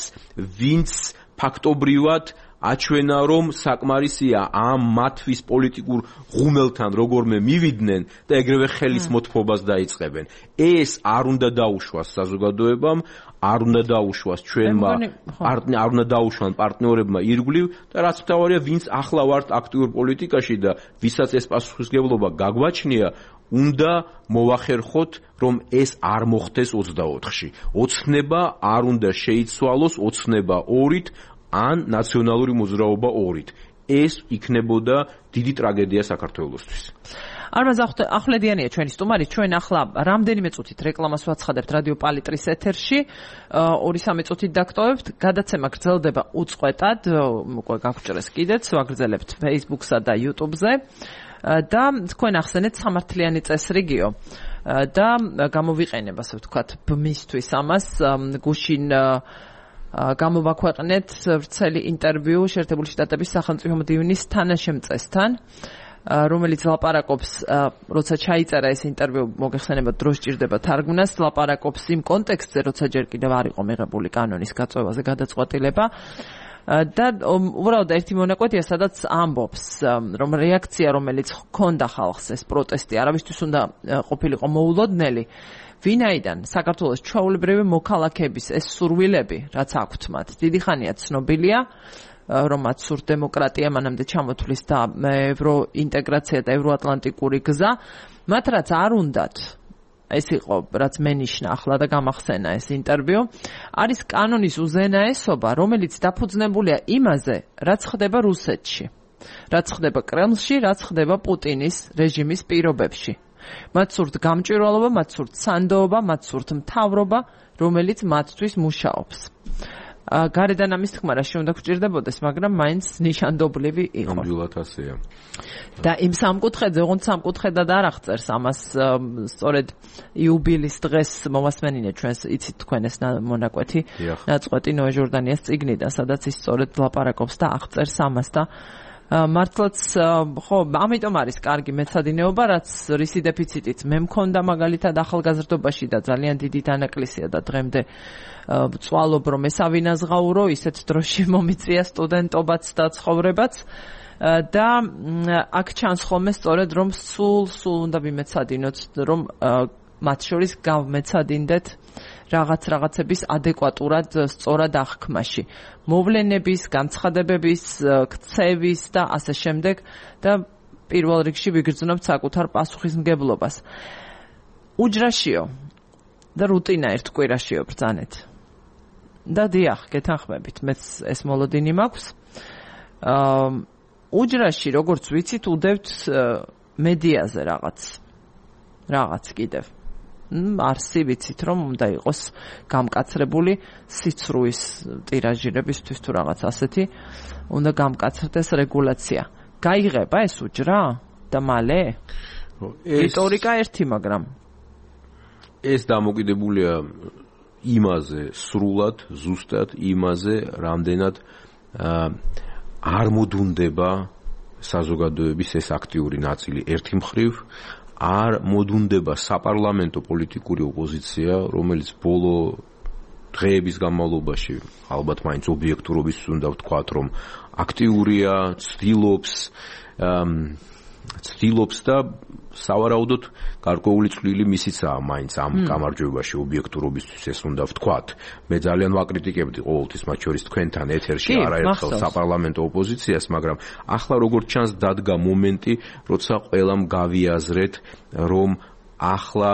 ვინც ფაქტობრივად აჩვენა რომ საკმარისია ამ მათთვის პოლიტიკურ ღუმელთან როგორმე მივიდნენ და ეგრევე ხელის მოთფობას დაიწყებენ. ეს არ უნდა დაუშვას საზოგადოებამ, არ უნდა დაუშვას ჩვენმა, არ უნდა დაუშვან პარტნიორებმა ირგვლივ და რაც მთავარია, ვინც ახლა ვართ აქტიურ პოლიტიკაში და ვისაც ეს პასუხისმგებლობა გაგვაჩნია, უნდა მოვახერხოთ, რომ ეს არ მოხდეს 24-ში. ოცნება არ უნდა შეიცვალოს ოცნება 2-ით ან ნაციონალური მოძრაობა 2-ით. ეს იქნებოდა დიდი ტრაგედია საქართველოსთვის. არმაზ ახვლედიანია ჩვენი სტუმარი, ჩვენ ახლა რამდენიმე წუთით რეკლამას ვაცხადებთ რადიო პალიტრის ეთერში, 2-3 წუთით დაგტოვებთ, გადაცემა გრძელდება უწყვეტად, უკვე გაგვჭრეს კიდეც, ვაგრძელებთ Facebook-სა და YouTube-ზე და თქვენ ახსენეთ სამართლიანი წესრიგიო და გამოვიყენებ, ასე ვთქვათ, ბმისთვის ამას, გუშინ გამოვაქვეყნეთ ვრცელი ინტერვიუ შეერთებული შტატების სახელმწიფო მდივნის თანაშემწესთან, რომელიც ლაპარაკობს, როცა ჩაიწერა ეს ინტერვიუ, მოგეხსენებათ, დრო სჭირდება თარგმნას, ლაპარაკობს იმ კონტექსტზე, როცა ჯერ კიდევ არ იყო მიღებული კანონის გაწევაზე გადაწყვეტილება და უბრალოდ ერთი მონაკვეთია, სადაც ამბობს, რომ რეაქცია, რომელიც ჰქონდა ხალხს, ეს პროტესტი, არავისთვის უნდა ყოფილიყო მოულოდნელი, ვინაიდან საქართველოს ჩვეულებრივი მოქალაქეების ეს სურვილები, რაც აქვთ მათ, დიდი ხანია ცნობილია, რომ მათ სურთ დემოკრატია, მანამდე ჩამოთვლის და ევროინტეგრაცია და ევროატლანტიკური გზა, მათ რაც არ უნდათ, ეს იყო, რაც მენიშნა ახლა და გამახსენა ეს ინტერვიუ, არის კანონის უზენაესობა, რომელიც დაფუძნებულია იმაზე, რაც ხდება რუსეთში, რაც ხდება კრემლში, რაც ხდება პუტინის რეჟიმის პირობებში. მათ სურთ გამჭვირვალობა, მათ სურთ სანდოობა, მათ სურთ მთავრობა, რომელიც მათთვის მუშაობს. გარედან ამის თქმა რა უნდა გვჭირდებოდეს, მაგრამ მაინც ნიშანდობლივი იყო. ნამდვილად ასეა. და იმ სამკუთხედზე, ოღონდ სამკუთხედად არ აღწერს ამას, სწორედ იუბილის დღეს მომასმენინე ჩვენს, იცით თქვენ ეს მონაკვეთი, ნაწყვეტი ნოე ჟორდანიას წიგნიდან, სადაც ის სწორედ ლაპარაკობს და აღწერს ამას და მართლაც ხო, ამიტომ არის კარგი მეცადინეობა, რაც რისი დეფიციტით მე მქონდა მაგალითად ახალგაზრდობაში და ძალიან დიდი დანაკლისია და დღემდე ვწვალობ რომ ესავინაზღაურო, ისეთ დროში მომიწია სტუდენტობაც და ცხოვრებაც და აქ ჩანს ხოლმე სწორედ რომ სულ უნდა ვიმეცადინოთ, რომ მათ შორის გავმეცადინდეთ რაღაცების ადეკვატურად სწორად აღქმაში. მოვლენების, განცხადებების, ქცევის და ასე შემდეგ და პირველ რიგში ვიგრძნობთ საკუთარ პასუხისმგებლობას. უჯრაშიო და რუტინა ერთ კვირაშიო ბრძანეთ. და დიახ, გეთანხმებით, მეც ეს მოლოდინი მაქვს. უჯრაში, როგორც ვიცით, უდევთ მედიაზე რაღაც კიდევ. არსი ვიცით რომ უნდა იყოს გამკაცრებული სიცრუის ტირაჟირებისთვის თუ რაღაც ასეთი უნდა გამკაცრდეს რეგულაცია. გაიღება ეს უჯრა? და მალე? რიტორიკა ერთი, მაგრამ ეს დამოკიდებულია იმაზე, სრულად, ზუსტად იმაზე, რამდენად არ მოდუნდება საზოგადოების ეს აქტიური ნაწილი ერთი მხრივ, არ მოდუნდება საპარლამენტო პოლიტიკური ოპოზიცია, რომელიც ბოლო დღეების განმავლობაში, ალბათ მაინც ობიექტურობის უნდა ვთქვათ, რომ აქტიურია, ცდილობს და სავარაუდოდ გარკვეული წვლილი მისიცაა მაინც ამ გამარჯვებაში ობიექტურობისთვის ეს უნდა ვთქვათ. მე ძალიან ვაკრიტიკებდი ყოველთვის მათ შორის თქვენთან ეთერში არაერთხელ საპარლამენტო ოპოზიციას, მაგრამ ახლა როგორც ჩანს დადგა მომენტი, როცა ყველამ გავიაზრეთ, რომ ახლა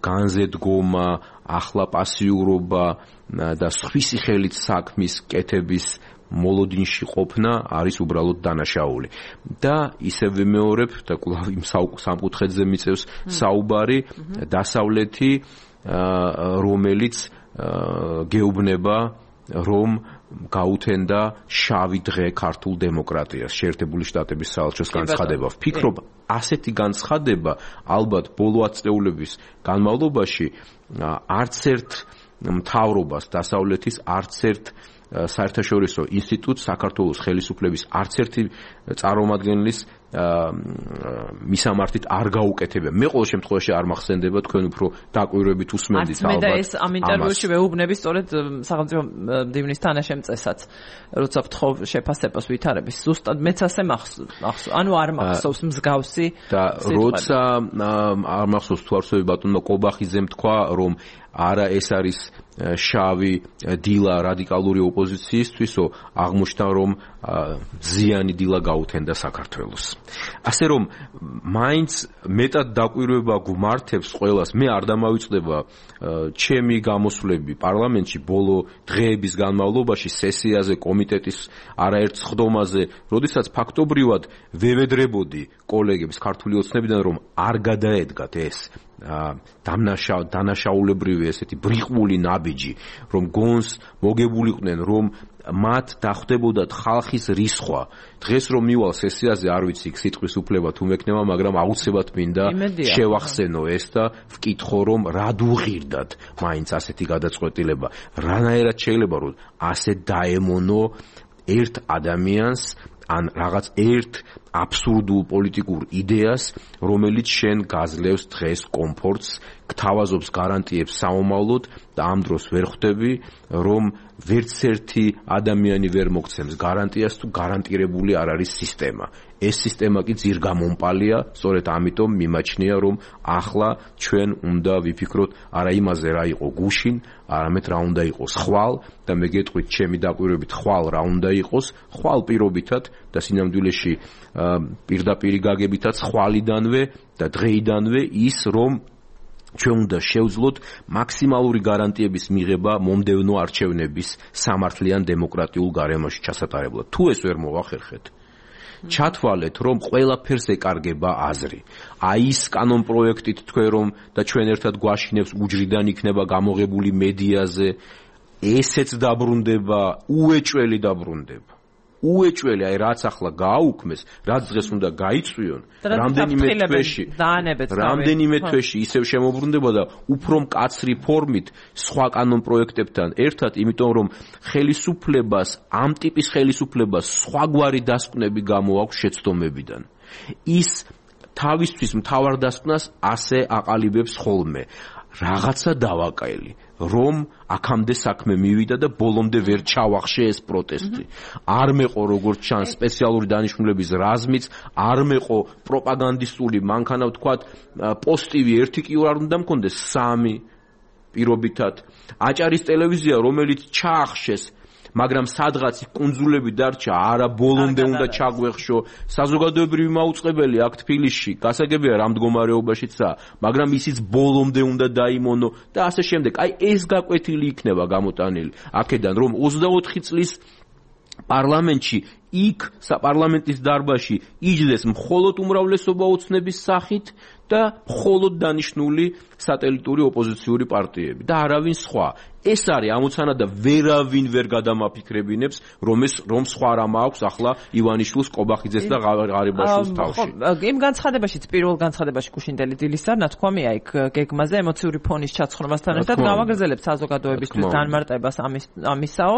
განზე დგომა, ახლა პასიურობა და სხვისი ხელით საქმის კეთების მოლოდინში ყოფნა არის უბრალოდ დანაშაული. და ისევ ვიმეორებ და კვლავ იმ სამკუთხედზე მიწევს საუბარი, დასავლეთი, რომელიც გეუბნება, რომ გაუთენდა შავი დღე ქართულ დემოკრატიას, შეერთებული შტატების საელჩოს განცხადება. ვფიქრობ, ასეთი განცხადება ალბათ ბოლო ათწლეულების განმავლობაში არც ერთ მთავრობას დასავლეთის, არც ერთ საერთაშორისო ინსტიტუტს, საქართველოს ხელისუფლების არც ერთი წარმომადგენლის მისამართით არ გაუკეთებია. მე ყოველ შემთხვევაში არ მახსენდება, თქვენ უფრო დაკვირვებით უსმენდით ალბათ. მე და ეს ამ ინტერვიუში ვეუბნები სწორედ სახელმწიფო მდივნის თანაშემწესად, როცა ვთხოვ შეფასებას ვითარების, ზუსტად მეც ასე მახსოვს, ანუ არ მახსოვს მსგავსი და როცა არ მახსოვს თუ არსებობს ბატონმა კობახიძემ თქვა, რომ არა ეს არის შავი დილა რადიკალური ოპოზიციისთვისო, აღმოჩნდა რომ ზიანი დილა გაუთენდა საქართველოს. ასე რომ მაინც მეტად დაკვირვება გვმართებს ყველას, მე არ დამავიწყდება ჩემი გამოსვლები პარლამენტში ბოლო დღეების განმავლობაში სესიაზე, კომიტეტის არაერთ სხდომაზე, როდესაც ფაქტობრივად ვევედრებოდი კოლეგებს ქართული ოცნებიდან, რომ არ გადაედგათ ეს დანაშაულებრივი ესეთი ბრიყვული ნაბიჯი, რომ გონს მოგებულიყვნენ, რომ მათ დახვდებოდათ ხალხის რისხვა. დღეს რომ მივალ სესიაზე, არ ვიცი სიტყვის უფლება თუ მექნება, მაგრამ აუცილებლად მინდა შევახსენო ეს და ვკითხო, რომ რად უღირდათ მაინც ასეთი გადაწყვეტილება. რანაირად შეიძლება რომ ასე დაემონო ერთ ადამიანს ან რაღაც ერთ აბსურდულ პოლიტიკურ იდეას, რომელიც შენ გაძლევს დღეს კომფორტს, გთავაზობს გარანტიებს საომავლოდ და ამ დროს ვერ ხვდები, რომ ვერც ერთი ადამიანი ვერ მოგცემს გარანტიას თუ გარანტირებული არ არის სისტემა. ეს სისტემა კი ძირგამომპალია, სწორედ ამიტომ მიმაჩნია, რომ ახლა ჩვენ უნდა ვიფიქროთ არა იმაზე რა იყო გუშინ, არამედ რა უნდა იყოს ხვალ და მე გეტყვით ჩემი დაკვირვებით ხვალ რა უნდა იყოს, ხვალ პირობითად და სინამდვილეში პირდაპირი გაგებითაც ხვალიდანვე და დღეიდანვე ის, რომ ჩვენ უნდა შევძლოთ მაქსიმალური გარანტიების მიღება მომდევნო არჩევნების სამართლიან დემოკრატიულ გარემოში ჩასატარებლად. თუ ეს ვერ მოვახერხეთ, ჩათვალეთ, რომ ყველაფერს ეკარგება აზრი. აი ის კანონპროექტით თქვენ რომ და ჩვენ ერთად გვაშინებს უჯრიდან იქნება გამოღებული მედიაზე, ესეც დაბრუნდება, უეჭველი დაბრუნდება. უეჭველი, აი რაც ახლა გააუქმეს, რაც დღეს უნდა გაიწვიონ, რამდენიმე თვეში ისევ შემოbrunდება და უფრო მკაცრი ფორმით სხვა კანონპროექტებთან ერთად, იმიტომ რომ ხელისუფლებას, ამ ტიპის ხელისუფლებას სხვაგვარი დასკვნები გამოაქვს შეცდომებიდან. ის თავისთვის მთავარ დასკვნას ასე აყალიბებს ხოლმე. რაღაცა დავაკელი, რომ აქამდე საქმე მივიდა და ბოლომდე ვერ ჩავახშე ეს პროტესტი. არ მეყო როგორც ჩანს სპეციალური დანიშნულების რაზმიც, არ მეყო პროპაგანდისტული, მანქანა ვთქვათ, პოსტივი ერთი კი არ უნდა მქონდეს, 3 პირობითად. აჭარის ტელევიზია, რომელიც ჩაახშეს, მაგრამ სადღაც კუნძულები დარჩა, არა ბოლომდე უნდა ჩაგვეხშო. საზოგადოებრივი მაუწყებელი აქ თბილისში, გასაგებია რა მდგომარეობაშიცაა, მაგრამ ისიც ბოლომდე უნდა დაიმონო და ასე შემდეგ. აი ეს გაკვეთილი იქნება გამოტანილი აქედან, რომ 24 წლის პარლამენტში იქ საპარლამენტის დარბაზში იჯდეს მხოლოდ უმრავლესობა ოცნების სახით და მხოლოდ დანიშნული სატელიტური ოპოზიციური პარტიები და არავინ სხვა. ეს არის ამოცანა და ვერავინ ვერ გადამაფიქრებინებს, რომ სხვა რამ აქვს ახლა ივანიშვილს, კობახიძეს და ღარიბაშვილს თავში. იმ განცხადებაშიც პირველ განცხადებაში გუშინდელი დილის არ ნათქვამია იქ გეგმაზე ემოციური ფონის ჩაცხრომასთან ერთად გავაგრძელებთ საზოგადოებისთვის განმარტებას ამისაო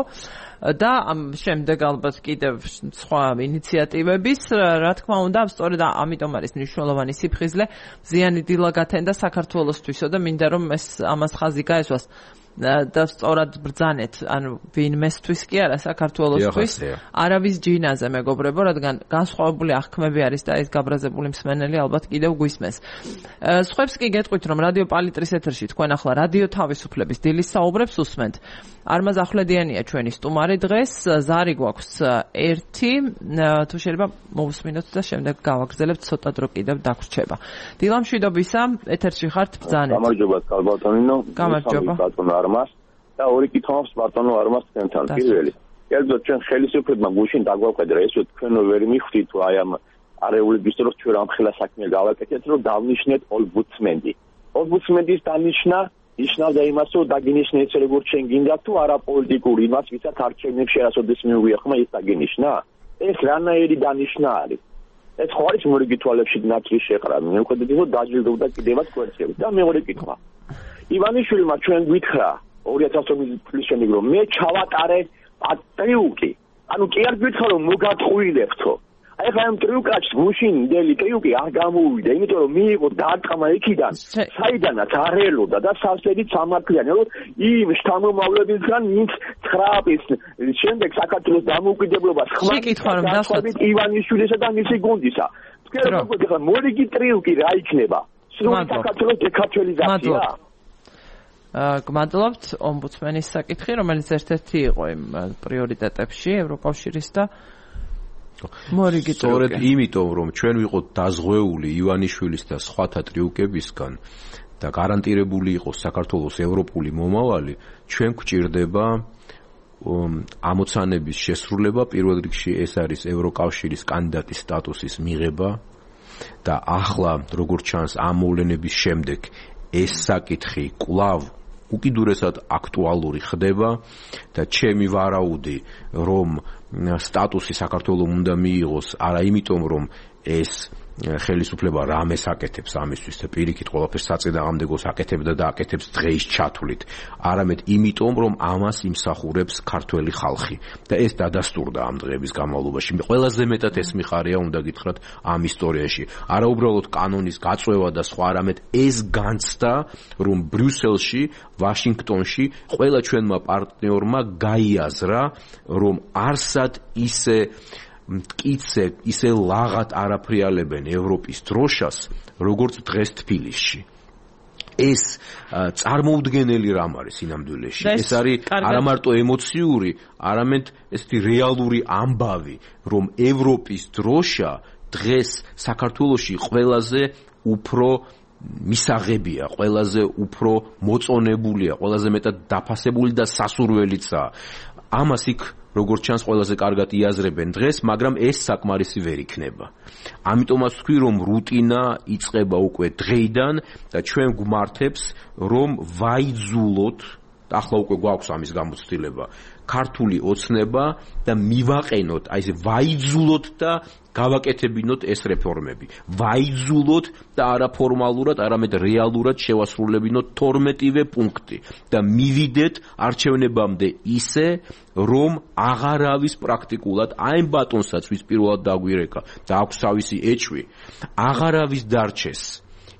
და შემდეგ ალბათ კიდევ სხვა ინიციატივების, რა თქმა უნდა, სწორედ ამიტომ არის მნიშვნელოვანი სიფხიზლე, ზიანი დილა გათენდა საქართველოსთვისო და მინდა რომ ამას ხაზი გაესვას და სწორად ბრძანეთ, ანუ ვინმესთვის კი არა საქართველოსთვის, არავის ჯინაზე მეგობრებო, რადგან განსხვავებული აღქმები არის და ეს გაბრაზებული მსმენელი ალბათ კიდევ გვისმენს. სხვებს კი გეტყვით, რომ რადიო პალიტრის ეთერში თქვენ ახლა რადიო თავისუფლების დილის საუბრებს უსმენთ. არმაზ ახვლედიანია ჩვენი სტუმარი დღეს, ზარი გვაქვს 1, თუ შეიძლება მოვუსმინოთ და შემდეგ გავაგრძელებთ, ცოტა დრო კიდევ დაგვრჩება. დილა მშვიდობისა, ეთერში ხართ, ბრძანეთ. გამარჯობა, კალბატონინო. გამარჯობა. არმას და ორი კითხვას ბატონო არმას თქვენთან. პირველი, კერძოდ ჩვენ ხელისუფლებმა გუშინ დაგვაკვედრა, ესე თქვენო ვერ მიხვდით თუ აი ამ არეულების დროს ჩვენ ამხელა საქმე გავაკეთეთ, რომ დავნიშნეთ ომბუდსმენი. ომბუდსმენის დანიშნა ნიშნავდა იმას, რომ დაგინიშნეთ ეს როგორც ჩვენ გინდა თუ არა პოლიტიკური იმას, ვისაც არჩევნებში არასოდეს მიუღია ხმა ის დაგინიშნა. ეს რანაირი დანიშნა არის? ეს ხო არის მორიგი თვალებში ნაცრის შეყრა. მე ვხედავ, რომ დაჯილდოვდა კიდევაც კვერცხები. და მეორე კითხვა. ივანიშვილმა ჩვენ გითხრა 2012 წლის შემდეგ რომ მე ჩავატარე ტრიუკი. ანუ კი არ გითხრა რომ მოგატყუილებთო. აი ხა ამ ტრიუკაჩ გუშინ დელი ტრიუკი არ გამოვიდა, იმიტომ რომ მიიღო დარტყმა იქიდან, საიდანაც არ ელოდა და სასწრაფოდ სამართლიანი, რომ იმ შთამომავლებისგან ვინც 9-ის შემდეგ საქართველოს დამოუკიდებლობას ხმართ ივანიშვილისა და მისი გუნდისა. თქვენ როგორ გიხარ მორიგი ტრიუკი რა იქნება? სრული საქართველოს დეკარტველიზაცია. გმადლობთ ომბუდსმენის საკითხი, რომელიც ერთ-ერთი იყო იმ პრიორიტეტებში ევროკავშირის და მორიგი ტრიუკი. სწორედ იმიტომ, რომ ჩვენ ვიყოთ დაზღვეული ივანიშვილის და სხვათა ტრიუკებისგან და გარანტირებული იყოს საქართველოს ევროპული მომავალი, ჩვენ გვჭირდება ამოცანების შესრულება, პირველ რიგში ეს არის ევროკავშირის კანდიდატის სტატუსის მიღება და ახლა როგორც ჩანს ამ მოვლენების შემდეგ ეს საკითხი კვლავ უკიდურესად აქტუალური ხდება და ჩემი ვარაუდი, რომ სტატუსი საქართველოს უნდა მიიღოს არა იმიტომ, რომ ეს ხელისუფლება რამეს აკეთებს ამისთვის და პირიქით ყველაფერს საწინააღმდეგოს აკეთებდა და აკეთებს დღეის ჩათვლით, არამედ იმიტომ, რომ ამას იმსახურებს ქართველი ხალხი და ეს დადასტურდა ამ დღეების განმავლობაში. ყველაზე მეტად ეს მიხარია უნდა გითხრათ ამ ისტორიაში. არა უბრალოდ კანონის გაწვევა და სხვა, არამედ ეს განცდა, რომ ბრიუსელში, ვაშინგტონში ყველა ჩვენმა პარტნიორმა გაიაზრა, რომ არსად მტკიცე ისე ლაღად არაფრიალებენ ევროპის დროშას, როგორც დღეს თბილისში. ეს წარმოუდგენელი რამ არის სინამდვილეში. ეს არის არა მარტო ემოციური, არამედ ესეთი რეალური ამბავი, რომ ევროპის დროშა დღეს საქართველოში ყველაზე უფრო მისაღებია, ყველაზე უფრო მოწონებულია, ყველაზე მეტად დაფასებული და სასურველიცაა. ამას იქ როგორც ჩანს ყველაზე კარგად იაზრებენ დღეს, მაგრამ ეს საკმარისი ვერ იქნება. ამიტომაც ვთქვი, რომ რუტინა იწყება უკვე დღეიდან და ჩვენ გვმართებს, რომ ვაიძულოთ, ახლა უკვე გვაქვს ამის გამოცდილება, ქართული ოცნება და მივაყენოთ, აი ესე ვაიძულოთ და გავაკეთებინოთ ეს რეფორმები. ვაიძულოთ და არა ფორმალურად, არამედ რეალურად შევასრულებინოთ 12-ვე პუნქტი და მივიდეთ არჩევნებამდე ისე, რომ აღარავის პრაქტიკულად აი ბატონსაც ვის პირველად დაგვირეკა და აქვს თავისი ეჭვი, აღარავის დარჩეს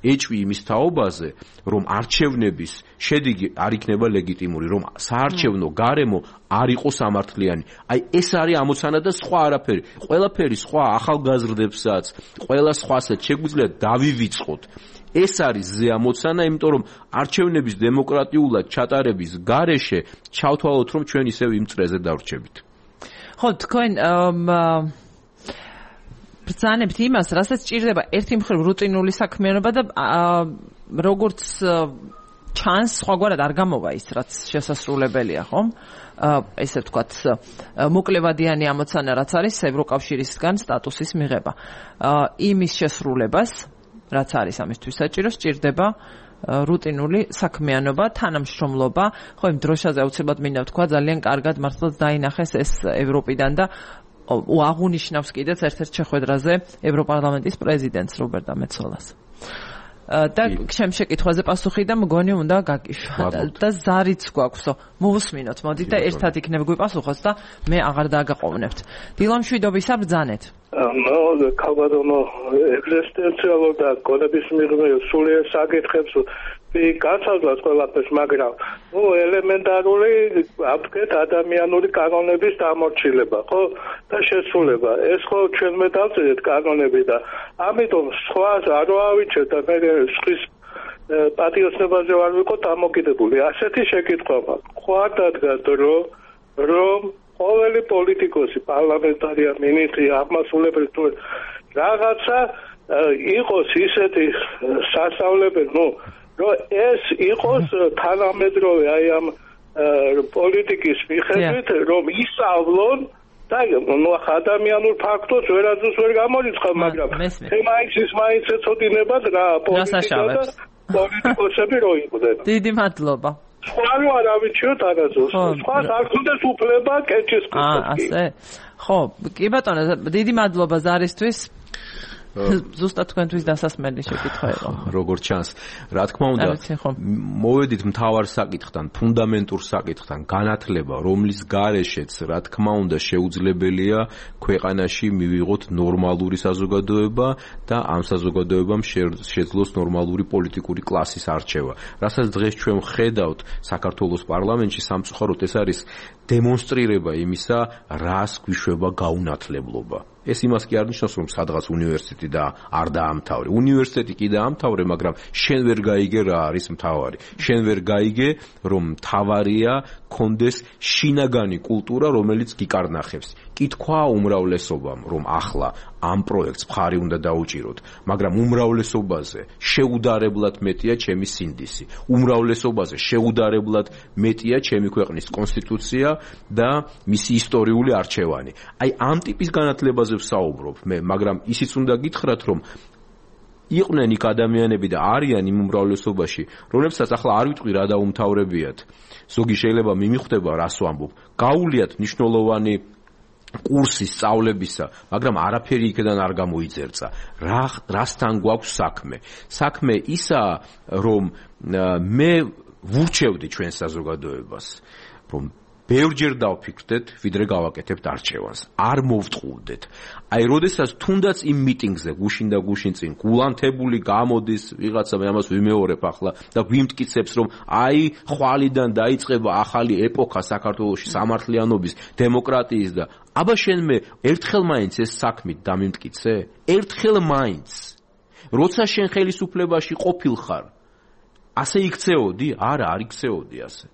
ეჭვი იმის თაობაზე, რომ არჩევნების შედეგი არ იქნება ლეგიტიმური, რომ საარჩევნო გარემო არ იყოს სამართლიანი. აი ეს არის ამოცანა და სხვა არაფერი. ყველაფერი სხვა ახალგაზრდებსაც, ყველა სხვასაც შეგვიძლია დავივიწყოთ. ეს არის ზე ამოცანა, იმიტომ რომ არჩევნების დემოკრატიულად ჩატარების გარეშე ჩავთვალოთ, რომ ჩვენ ისევ იმ წრეზე დავრჩებით. ხო, თქვენ ბრძანებთ იმას, რასაც ჭირდება ერთი მხრივ რუტინული საქმიანობა და როგორც ჩანს სხვაგვარად არ გამოვა ის რაც შესასრულებელია ხომ ესე ვთქვათ მოკლევადიანი ამოცანა რაც არის ევროკავშირისგან სტატუსის მიღება იმის შესრულებას რაც არის ამისთვის საჭირო სჭირდება რუტინული საქმიანობა, თანამშრომლობა, ხო იმ დროშაზე აუცილებლად მინდა ვთქვა, ძალიან კარგად მართლაც დაინახეს ეს ევროპიდან და აღუნიშნავს კიდეც ერთ-ერთ შეხვედრაზე ევროპარლამენტის პრეზიდენტს რობერტა მეცოლას. და ჩემ შეკითხვაზე პასუხი და მგონი უნდა გაგიშვათ და ზარიც გვაქვსო. მოვუსმინოთ, მოდით და ერთად იქნებ გვიპასუხოთ და მე აღარ დაგაყოვნებთ. დილამშვიდობისა ბრძანეთ. ქალბატონო ეგზისტენციალურ და გონების მიღმეო სულიერ საკითხებს გაცადვას ყველაფერს, მაგრამ ელემენტარული აფრეთ ადამიანური კანონების დამორჩილება, ხო? და შესრულება. ეს ხო ჩვენმე დავწერეთ კანონები და ამიტომ სხვა არ ავიჩერთ და მე სხვის პატიოსნებაზე ვარ ვიყოთ დამოკიდებული. ასეთი შეკითხვა მაქვს. ხوار დადგა დრო რომ ყოველი პოლიტიკოსი, პარლამენტარია, მინისტრი, აღმასრულებელი თუ რაღაცა იყოს ისეთი სასწავლებელი, რომ ეს იყოს თანამედროვე აი ამ პოლიტიკის მიხედვით, რომ ისწავლონ და ადამიანურ ფაქტორს ვერაზუს ვერ გამორიცხავ, მაგრამ მაინც ეცოდინებათ რა პოლიტიკა და პოლიტიკოსები რო იყვნენ. დიდი მადლობა. სხვა არ ავიჩიოთ არასდროს. სხვა არ ქონდეს უფლება კეჭის კუთხეს. ასე. ხო, კი ბატონო, დიდი მადლობა ზარისთვის. ზუსტად თქვენთვის დასასმელი შეკითხვა იყო. როგორც ჩანს, რა თქმა უნდა, მოვედით მთავარ საკითხთან, ფუნდამენტურ საკითხთან, განათლება, რომლის გარეშეც, რა თქმა უნდა, შეუძლებელია ქვეყანაში მივიღოთ ნორმალური საზოგადოება და ამ საზოგადოებამ შეძლოს ნორმალური პოლიტიკური კლასის არჩევა. რასაც დღეს ჩვენ ვხედავთ საქართველოს პარლამენტში, სამწუხაროდ ეს არის დემონსტრირება იმისა, რას გვიშვება გაუნათლებლობა. ეს იმას კი არ ნიშნავს, რომ სადღაც უნივერსიტეტი და არ დაამთავრე. უნივერსიტეტი კი დაამთავრე, მაგრამ შენ ვერ გაიგე რა არის მთავარი. შენ ვერ გაიგე, რომ მთავარია კონდეს შინაგანი კულტურა, რომელიც გიკარნახებს. კითხვა უმრავლესობამ, რომ ახლა ამ პროექტს მხარი უნდა დაუჭიროთ, მაგრამ უმრავლესობაზე შეუდარებლად მეტია ჩემი სინდისი. უმრავლესობაზე შეუდარებლად მეტია ჩემი ქვეყნის კონსტიტუცია და მისი ისტორიული არჩევანი. აი ამ ტიპის განათლებაზე ვსაუბრობ მე, მაგრამ ისიც უნდა გითხრათ, რომ იყვნენ იქ ადამიანები და არიან იმ უმრავლესობაში, რომლებსაც ახლა არ ვიტყვი რა დაუმთავრებიათ. ზოგი შეიძლება მიმიხვდება რას ვამბობ. გაუვლიათ მნიშვნელოვანი კურსი სწავლებისა, მაგრამ არაფერი იქიდან არ გამოიძერწა. რასთან გვაქვს საქმე? საქმე ისაა, რომ მე ვურჩევდი ჩვენ საზოგადოებას, რომ ბევრჯერ დავფიქრდეთ, ვიდრე გავაკეთებთ არჩევანს. არ მოვტყუდეთ. აი, როდესაც თუნდაც იმ მიტინგზე გუშინ და გუშინ წინ გულანთებული გამოდის, ვიღაცა მე ამას ვიმეორებ ახლა და გვიმტკიცებს, რომ აი, ხვალიდან დაიწყება ახალი ეპოქა საქართველოში სამართლიანობის, დემოკრატიის და აბა შენ მე ერთხელ მაინც ეს საქმით დამიმტკიცე? ერთხელ მაინც. როცა შენ ხელისუფლებაში ყოფილხარ, ასე იქცეოდი? არა, არ იქცეოდი ასე.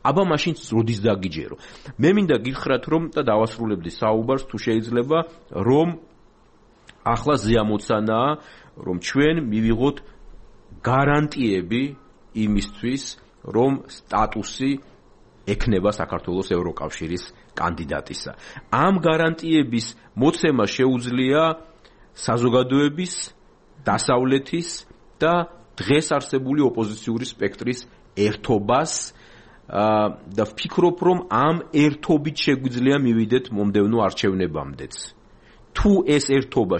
აბა მაშინ როდის დაგიჯერო? მე მინდა გითხრათ, რომ და დავასრულებდი საუბარს, თუ შეიძლება, რომ ახლა ზეამოცანაა, რომ ჩვენ მივიღოთ გარანტიები იმისთვის, რომ სტატუსი ექნება საქართველოს ევროკავშირის კანდიდატისა. ამ გარანტიების მოცემა შეუძლია საზოგადოების, დასავლეთის და დღეს არსებული ოპოზიციური სპექტრის ერთობას და ვფიქრობ, რომ ამ ერთობით შეგვიძლია მივიდეთ მომდევნო არჩევნებამდეც. თუ ეს ერთობა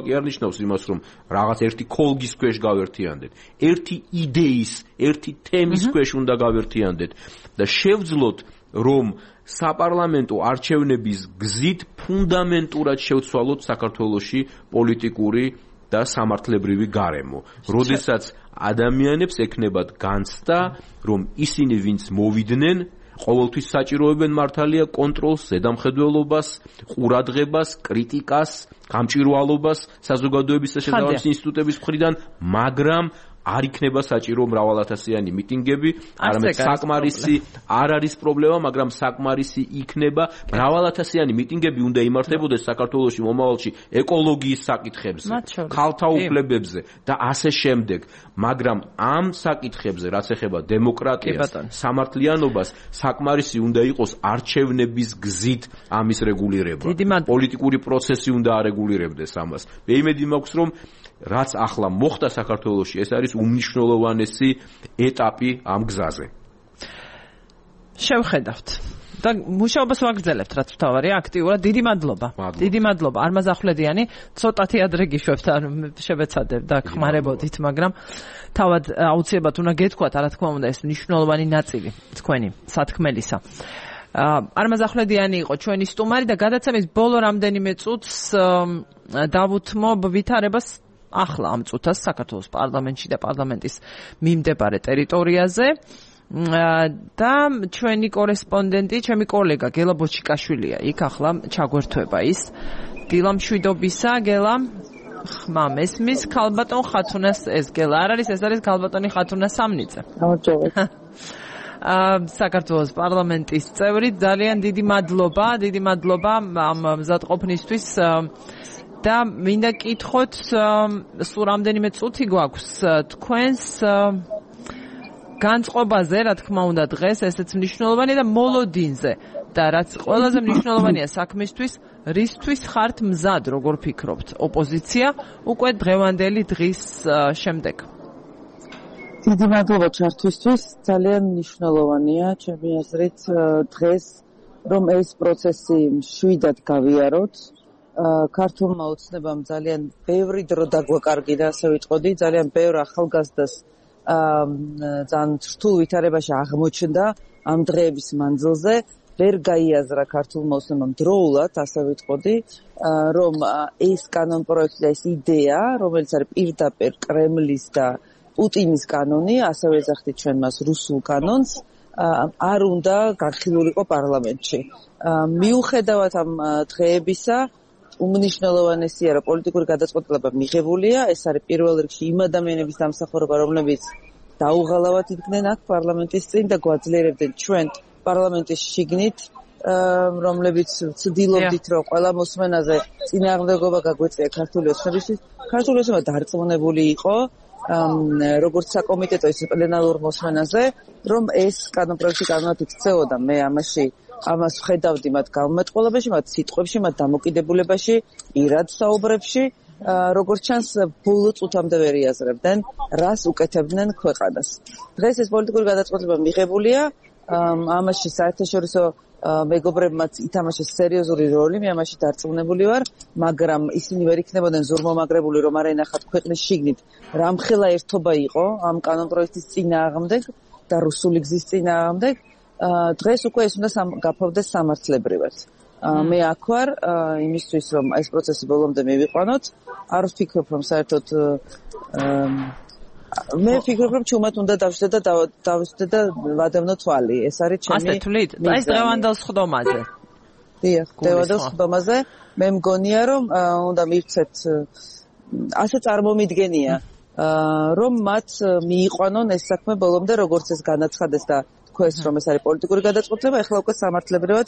კი არ ნიშნავს იმას, რომ რაღაც ერთი ქოლგის ქვეშ გავერთიანდეთ, ერთი იდეის, ერთი თემის ქვეშ უნდა გავერთიანდეთ და შევძლოთ, რომ საპარლამენტო არჩევნების გზით ფუნდამენტურად შევცვალოთ საქართველოში პოლიტიკური და სამართლებრივი გარემო. როდესაც ადამიანებს ექნებათ განცდა, რომ ისინი ვინც მოვიდნენ, ყოველთვის საჭიროებენ მართალია კონტროლს, ზედამხედველობას, ყურადღებას, კრიტიკას, გამჭვირვალობას საზოგადოების და შესაბამისი ინსტიტუტების მხრიდან, მაგრამ არ იქნება საჭირო მრავალათასიანი მიტინგები, არამედ საკმარისი არ არის პრობლემა, მაგრამ საკმარისი იქნება მრავალათასიანი მიტინგები უნდა იმართებოდეს საქართველოში მომავალში ეკოლოგიის საკითხებზე, ქალთა უფლებებზე და ასე შემდეგ, მაგრამ ამ საკითხებზე, რაც ეხება დემოკრატიას, სამართლიანობას, საკმარისი უნდა იყოს არჩევნების გზით ამის რეგულირება. პოლიტიკური პროცესი უნდა არეგულირებდეს ამას. მე იმედი მაქვს, რომ რაც ახლა მოხდა საქართველოში, ეს არის უმნიშვნელოვანესი ეტაპი ამ გზაზე. შევხედავთ და მუშაობას ვაგრძელებთ, რაც თავარია აქტიურად. დიდი მადლობა. დიდი მადლობა. არმაზ ახვლედიანი, ცოტათი ადრე გიშვებთ, შევეცადებ და ხმარებოდით, მაგრამ თავად აუცილებლად უნდა გეთქვათ, რა თქმა უნდა, ეს მნიშვნელოვანი ნაწილი თქვენი სათქმელისა. არმაზ ახვლედიანი იყო ჩვენი სტუმარი და გადაცემის ბოლო რამდენიმე წუთს დავუთმობ ვითარებას ახლა ამ წუთას საქართველოს პარლამენტში და პარლამენტის მიმდებარე ტერიტორიაზე და ჩვენი კორესპონდენტი, ჩემი კოლეგა გელა ბოჩიკაშვილია იქ ახლა ჩაგვერთვება ის. დილა მშვიდობისა, გელა. ხმა მესმის ქალბატონ ხათუნას ეს გელა არ არის, ეს არის ქალბატონი ხათუნა სამნიძე. გამარჯობათ. საქართველოს პარლამენტის წევრი, ძალიან დიდი მადლობა ამ მზადყოფნისთვის და მინდა კითხოთ, სულ რამდენიმე წუთი გვაქვს თქვენს განწყობაზე, რა თქმა უნდა დღეს ესეც მნიშვნელოვანია და მოლოდინზე და რაც ყველაზე მნიშვნელოვანია საქმისთვის, რისთვის ხართ მზად, როგორ ფიქრობთ, ოპოზიცია უკვე დღევანდელი დღის შემდეგ? დიდი მადლობა ჩართვისთვის, ძალიან მნიშვნელოვანია ჩემი აზრით დღეს რომ ეს პროცესი მშვიდად გავიაროთ. ქართულმა ოცნებამ ძალიან ბევრი დრო დაგვაკარგიდა, ასე ვიტყოდი, ძალიან ბევრ ახალგაზრდას ძალიან რთულ ვითარებაში აღმოჩნდა ამ დღეების მანძილზე. ვერ გაიაზრა ქართულმა ოცნებამ დროულად, ასე ვიტყოდი, რომ ეს კანონპროექტი და ეს იდეა, რომელიც არის პირდაპირ კრემლის და პუტინის კანონი, ასევე ეძახდით ჩვენ მას რუსულ კანონს, არ უნდა განხილულიყო პარლამენტში. მიუხედავად ამ დღეებისა, უმნიშვნელოვანესია, რომ პოლიტიკური გადაწყვეტილება მიღებულია, ეს არის პირველ რიგში იმ ადამიანების დამსახურება, რომლებიც დაუღალავად იდგნენ აქ პარლამენტის წინ და გვაძლიერებდნენ ჩვენ პარლამენტის შიგნით, რომლებიც ვცდილობდით, რომ ყველა მოსმენაზე წინააღმდეგობა გაგვეწია ქართული ოცნებისთვის. ქართული ოცნება დარწმუნებული იყო, როგორც საკომიტეტო ის პლენარულ მოსმენაზე, რომ ეს კანონპროექტი კანონად იქცეოდა. მე ამას ვხედავდი მათ გამომეტყველებაში, მათ სიტყვებში, მათ დამოკიდებულებაში, პირად საუბრებში, როგორც ჩანს, ბოლო წუთამდე ვერ იაზრებდნენ, რას უკეთებდნენ ქვეყანას. დღეს ეს პოლიტიკური გადაწყვეტილება მიღებულია, ამაში საერთაშორისო მეგობრებმაც ითამაშეს სერიოზული როლი, მე ამაში დარწმუნებული ვარ, მაგრამ ისინი ვერ იქნებოდნენ ზურმომაგრებული, რომ არ ენახათ ქვეყნის შიგნით რამხელა ერთობა იყო ამ კანონპროექტის წინააღმდეგ და რუსული გზის წინააღმდეგ. დღეს უკვე ეს უნდა გაფავდეს სამართლებრივად. მე აქ ვარ იმისთვის, რომ ეს პროცესი ბოლომდე მივიყვანოთ. არ ვფიქრობ, რომ საერთოდ მე ვფიქრობ, რომ ჩუმად უნდა დავშდე და ვადევნო თვალი. ეს არის ჩემი. ასე თვლით? ეს დღევანდელ სხდომაზე. დიახ, დღევანდელ სხდომაზე მე მგონია, რომ უნდა მივცეთ ასე წარმომიდგენია, რომ მათ მიიყვანონ ეს საქმე ბოლომდე, როგორც ეს განაცხადეს და თქვენს, რომ ეს არის პოლიტიკური გადაწყვეტილება, ეხლა უკვე სამართლებრივად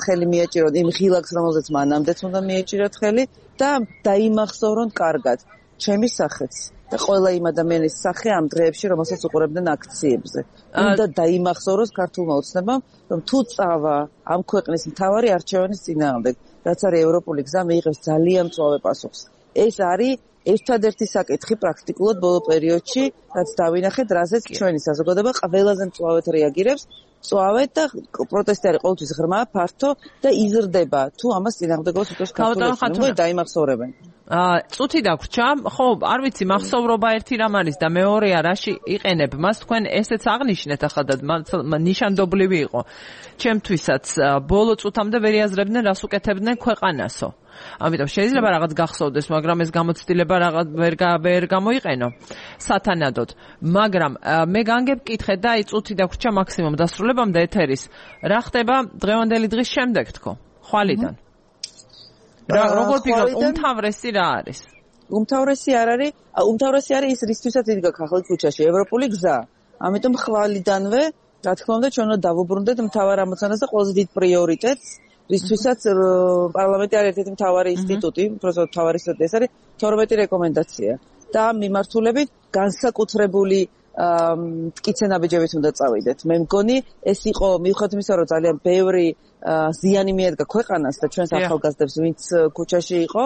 ხელი მიაჭიროთ იმ ღილაკს, რომელზეც მანამდეც უნდა მიეჭიროთ ხელი და დაიმახსოვრონ კარგად ჩემი სახეც და ყველა იმ ადამიანის სახე ამ დღეებში, რომელსაც უყურებდნენ აქციებზე. უნდა დაიმახსოვროს ქართულმა ოცნებამ, რომ თუ წავა ამ ქვეყნის მთავარი არჩევანის წინააღმდეგ, რაც არის ევროპული გზა, მიიღებს ძალიან მწვავე პასუხს. ეს არის ერთადერთი საკითხი პრაქტიკულად ბოლო პერიოდში, რაც დავინახეთ, რაზეც ჩვენი საზოგადოება ყველაზე მწვავედ რეაგირებს, მწვავედ და პროტესტი არის ყოველთვის ღრმა, ფართო და იზრდება. თუ ამას წინააღმდეგობას უწევს ქართული ოცნება, დაიმახსოვრებენ. წუთი დაგვრჩა, ხო, არ ვიცი, მახსოვრობა ერთი რამ არის და მეორეა რაში იყენებ მას, თქვენ ესეც აღნიშნეთ ახლა და ნიშანდობლივი იყო. ჩემთვისაც ბოლო წუთამდე ვერ იაზრებდნენ, რას უკეთებდნენ ქვეყანასო. ამიტომ შეიძლება რაღაც გახსოვდეს, მაგრამ ეს გამოცდილება რაღაც ვერ გამოიყენო სათანადოდ. მაგრამ მე განგებკითხეთ და აი წუთი დაგვრჩა მაქსიმუმ დასრულებამდე ეთერის. რა ხდება დღევანდელი დღის შემდეგ თქო? ხვალიდან. როგორ ფიქრობ, უმთავრესი რა არის? უმთავრესი არის ის რისთვისაც იდგა ხალხი ქუჩაში, ევროპული გზა. ამიტომ ხვალიდანვე, რა თქმა უნდა, ჩვენ უნდა დავუბრუნდეთ მთავარ ამოცანას და ყველაზე დიდ პრიორიტეტს, რისთვისაც პარლამენტი არის ერთ-ერთი მთავარი ინსტიტუტი, უბრალოდ მთავარი ინსტიტუტი, ეს არის 12 რეკომენდაცია. და ამ მიმართულებით განსაკუთრებული მტკიცე-ნაბიჯებით უნდა წავიდეთ. მე მგონი, ეს იყო მიუხედავად იმისა, რომ ძალიან ბევრი ზიანი მიადგა ქვეყანას და ჩვენს ახალგაზრდებს, ვინც ქუჩაში იყო,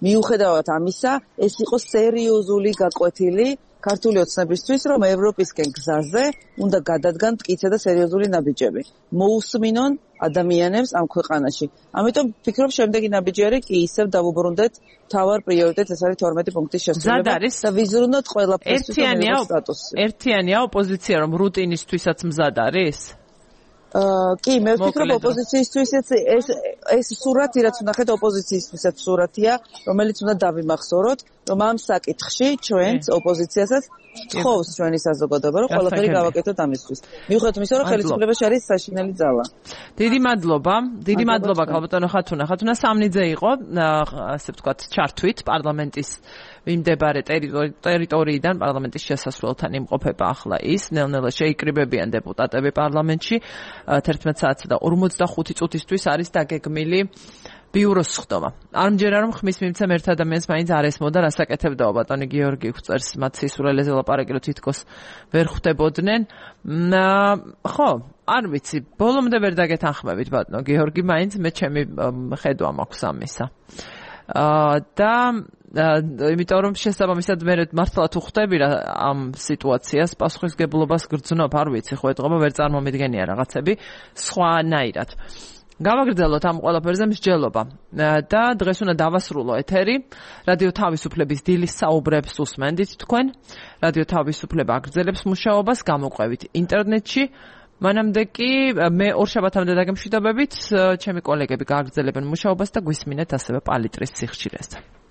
მიუხედავად ამისა, ეს იყო სერიოზული გაკვეთილი ქართული ოცნებისთვის, რომ ევროპისკენ გზაზე უნდა გადადგან მტკიცე და სერიოზული ნაბიჯები. მოусმინონ ადამიანებს ამ ქვეყანაში. ამიტომ ვფიქრობ, შემდეგი ნაბიჯი არის კი ისევ დავუბრუნდეთ თავარ პრიორიტეტს, ეს არის 12 პუნქტის შესრულება და ვიზრუნოთ ყველაფერს სტატუსი. ერთიანია ოპოზიცია, რომ რუტინისთვისაც მზად არის? კი, მე ვფიქრობ ოპოზიციისთვისაც ეს სურათი, რაც ვნახეთ ოპოზიციისთვისაც სურათია, რომელიც უნდა დავიმახსოვროთ, რომ ამ საკითხში ჩვენც ოპოზიციასაც თხოვს ჩვენი საზოგადოება, რომ ყველაფერი გავაკეთოთ ამისთვის. მიუხედავად იმისა, რომ ხელისუფლებაში არის საშინელი ძალა. დიდი მადლობა ქალბატონო ხათუნა. ხათუნა სამნიძე იყო, ასე ვთქვათ, ჩართვით პარლამენტის მიმდებარე ტერიტორიიდან პარლამენტის შესასვლელთან იმყოფება ახლა ის, ნელ-ნელა შეიკრიბებიან დეპუტატები პარლამენტში. 11 საათსა და 45 წუთისთვის არის დაგეგმილი ბიუროს სხდომა. არ მჯერა რომ ხმის მიმცემ ერთ ადამიანს მაინც არ ესმოდა რასაკეთებდაო ბატონი გიორგი ხვწერს მათ სისულელეზე ლაპარაკი რომ თითქოს ვერ ხვდებოდნენ. ხო, არ ვიცი, ბოლომდე ვერ დაგეთანხმებით ბატონო გიორგი, მაინც მე ჩემი ხედვა მაქვს ამისა. და იმიტომ რომ შესაბამისად მე მართლა თუ ხვდები რა ამ სიტუაციას პასუხისგებლობას გრძნობ, არ ვიცი, ხო ეთყობა ვერ წარმომიდგენია რაღაცები სხვანაირად. გავაგრძელოთ ამ ყველაფერზე მსჯელობა და დღეს უნდა დავასრულო ეთერი. რადიო თავისუფლების დილის საუბრებს უსმენდით თქვენ. რადიო თავისუფლება აგრძელებს მუშაობას, გამოყვებით ინტერნეტში. მანამდე კი მე ორშაბათამდე დაგემშვიდობებით, ჩემი კოლეგები გააგრძელებენ მუშაობას და გვისმინეთ ასევე პალიტრის სიხშირეზე.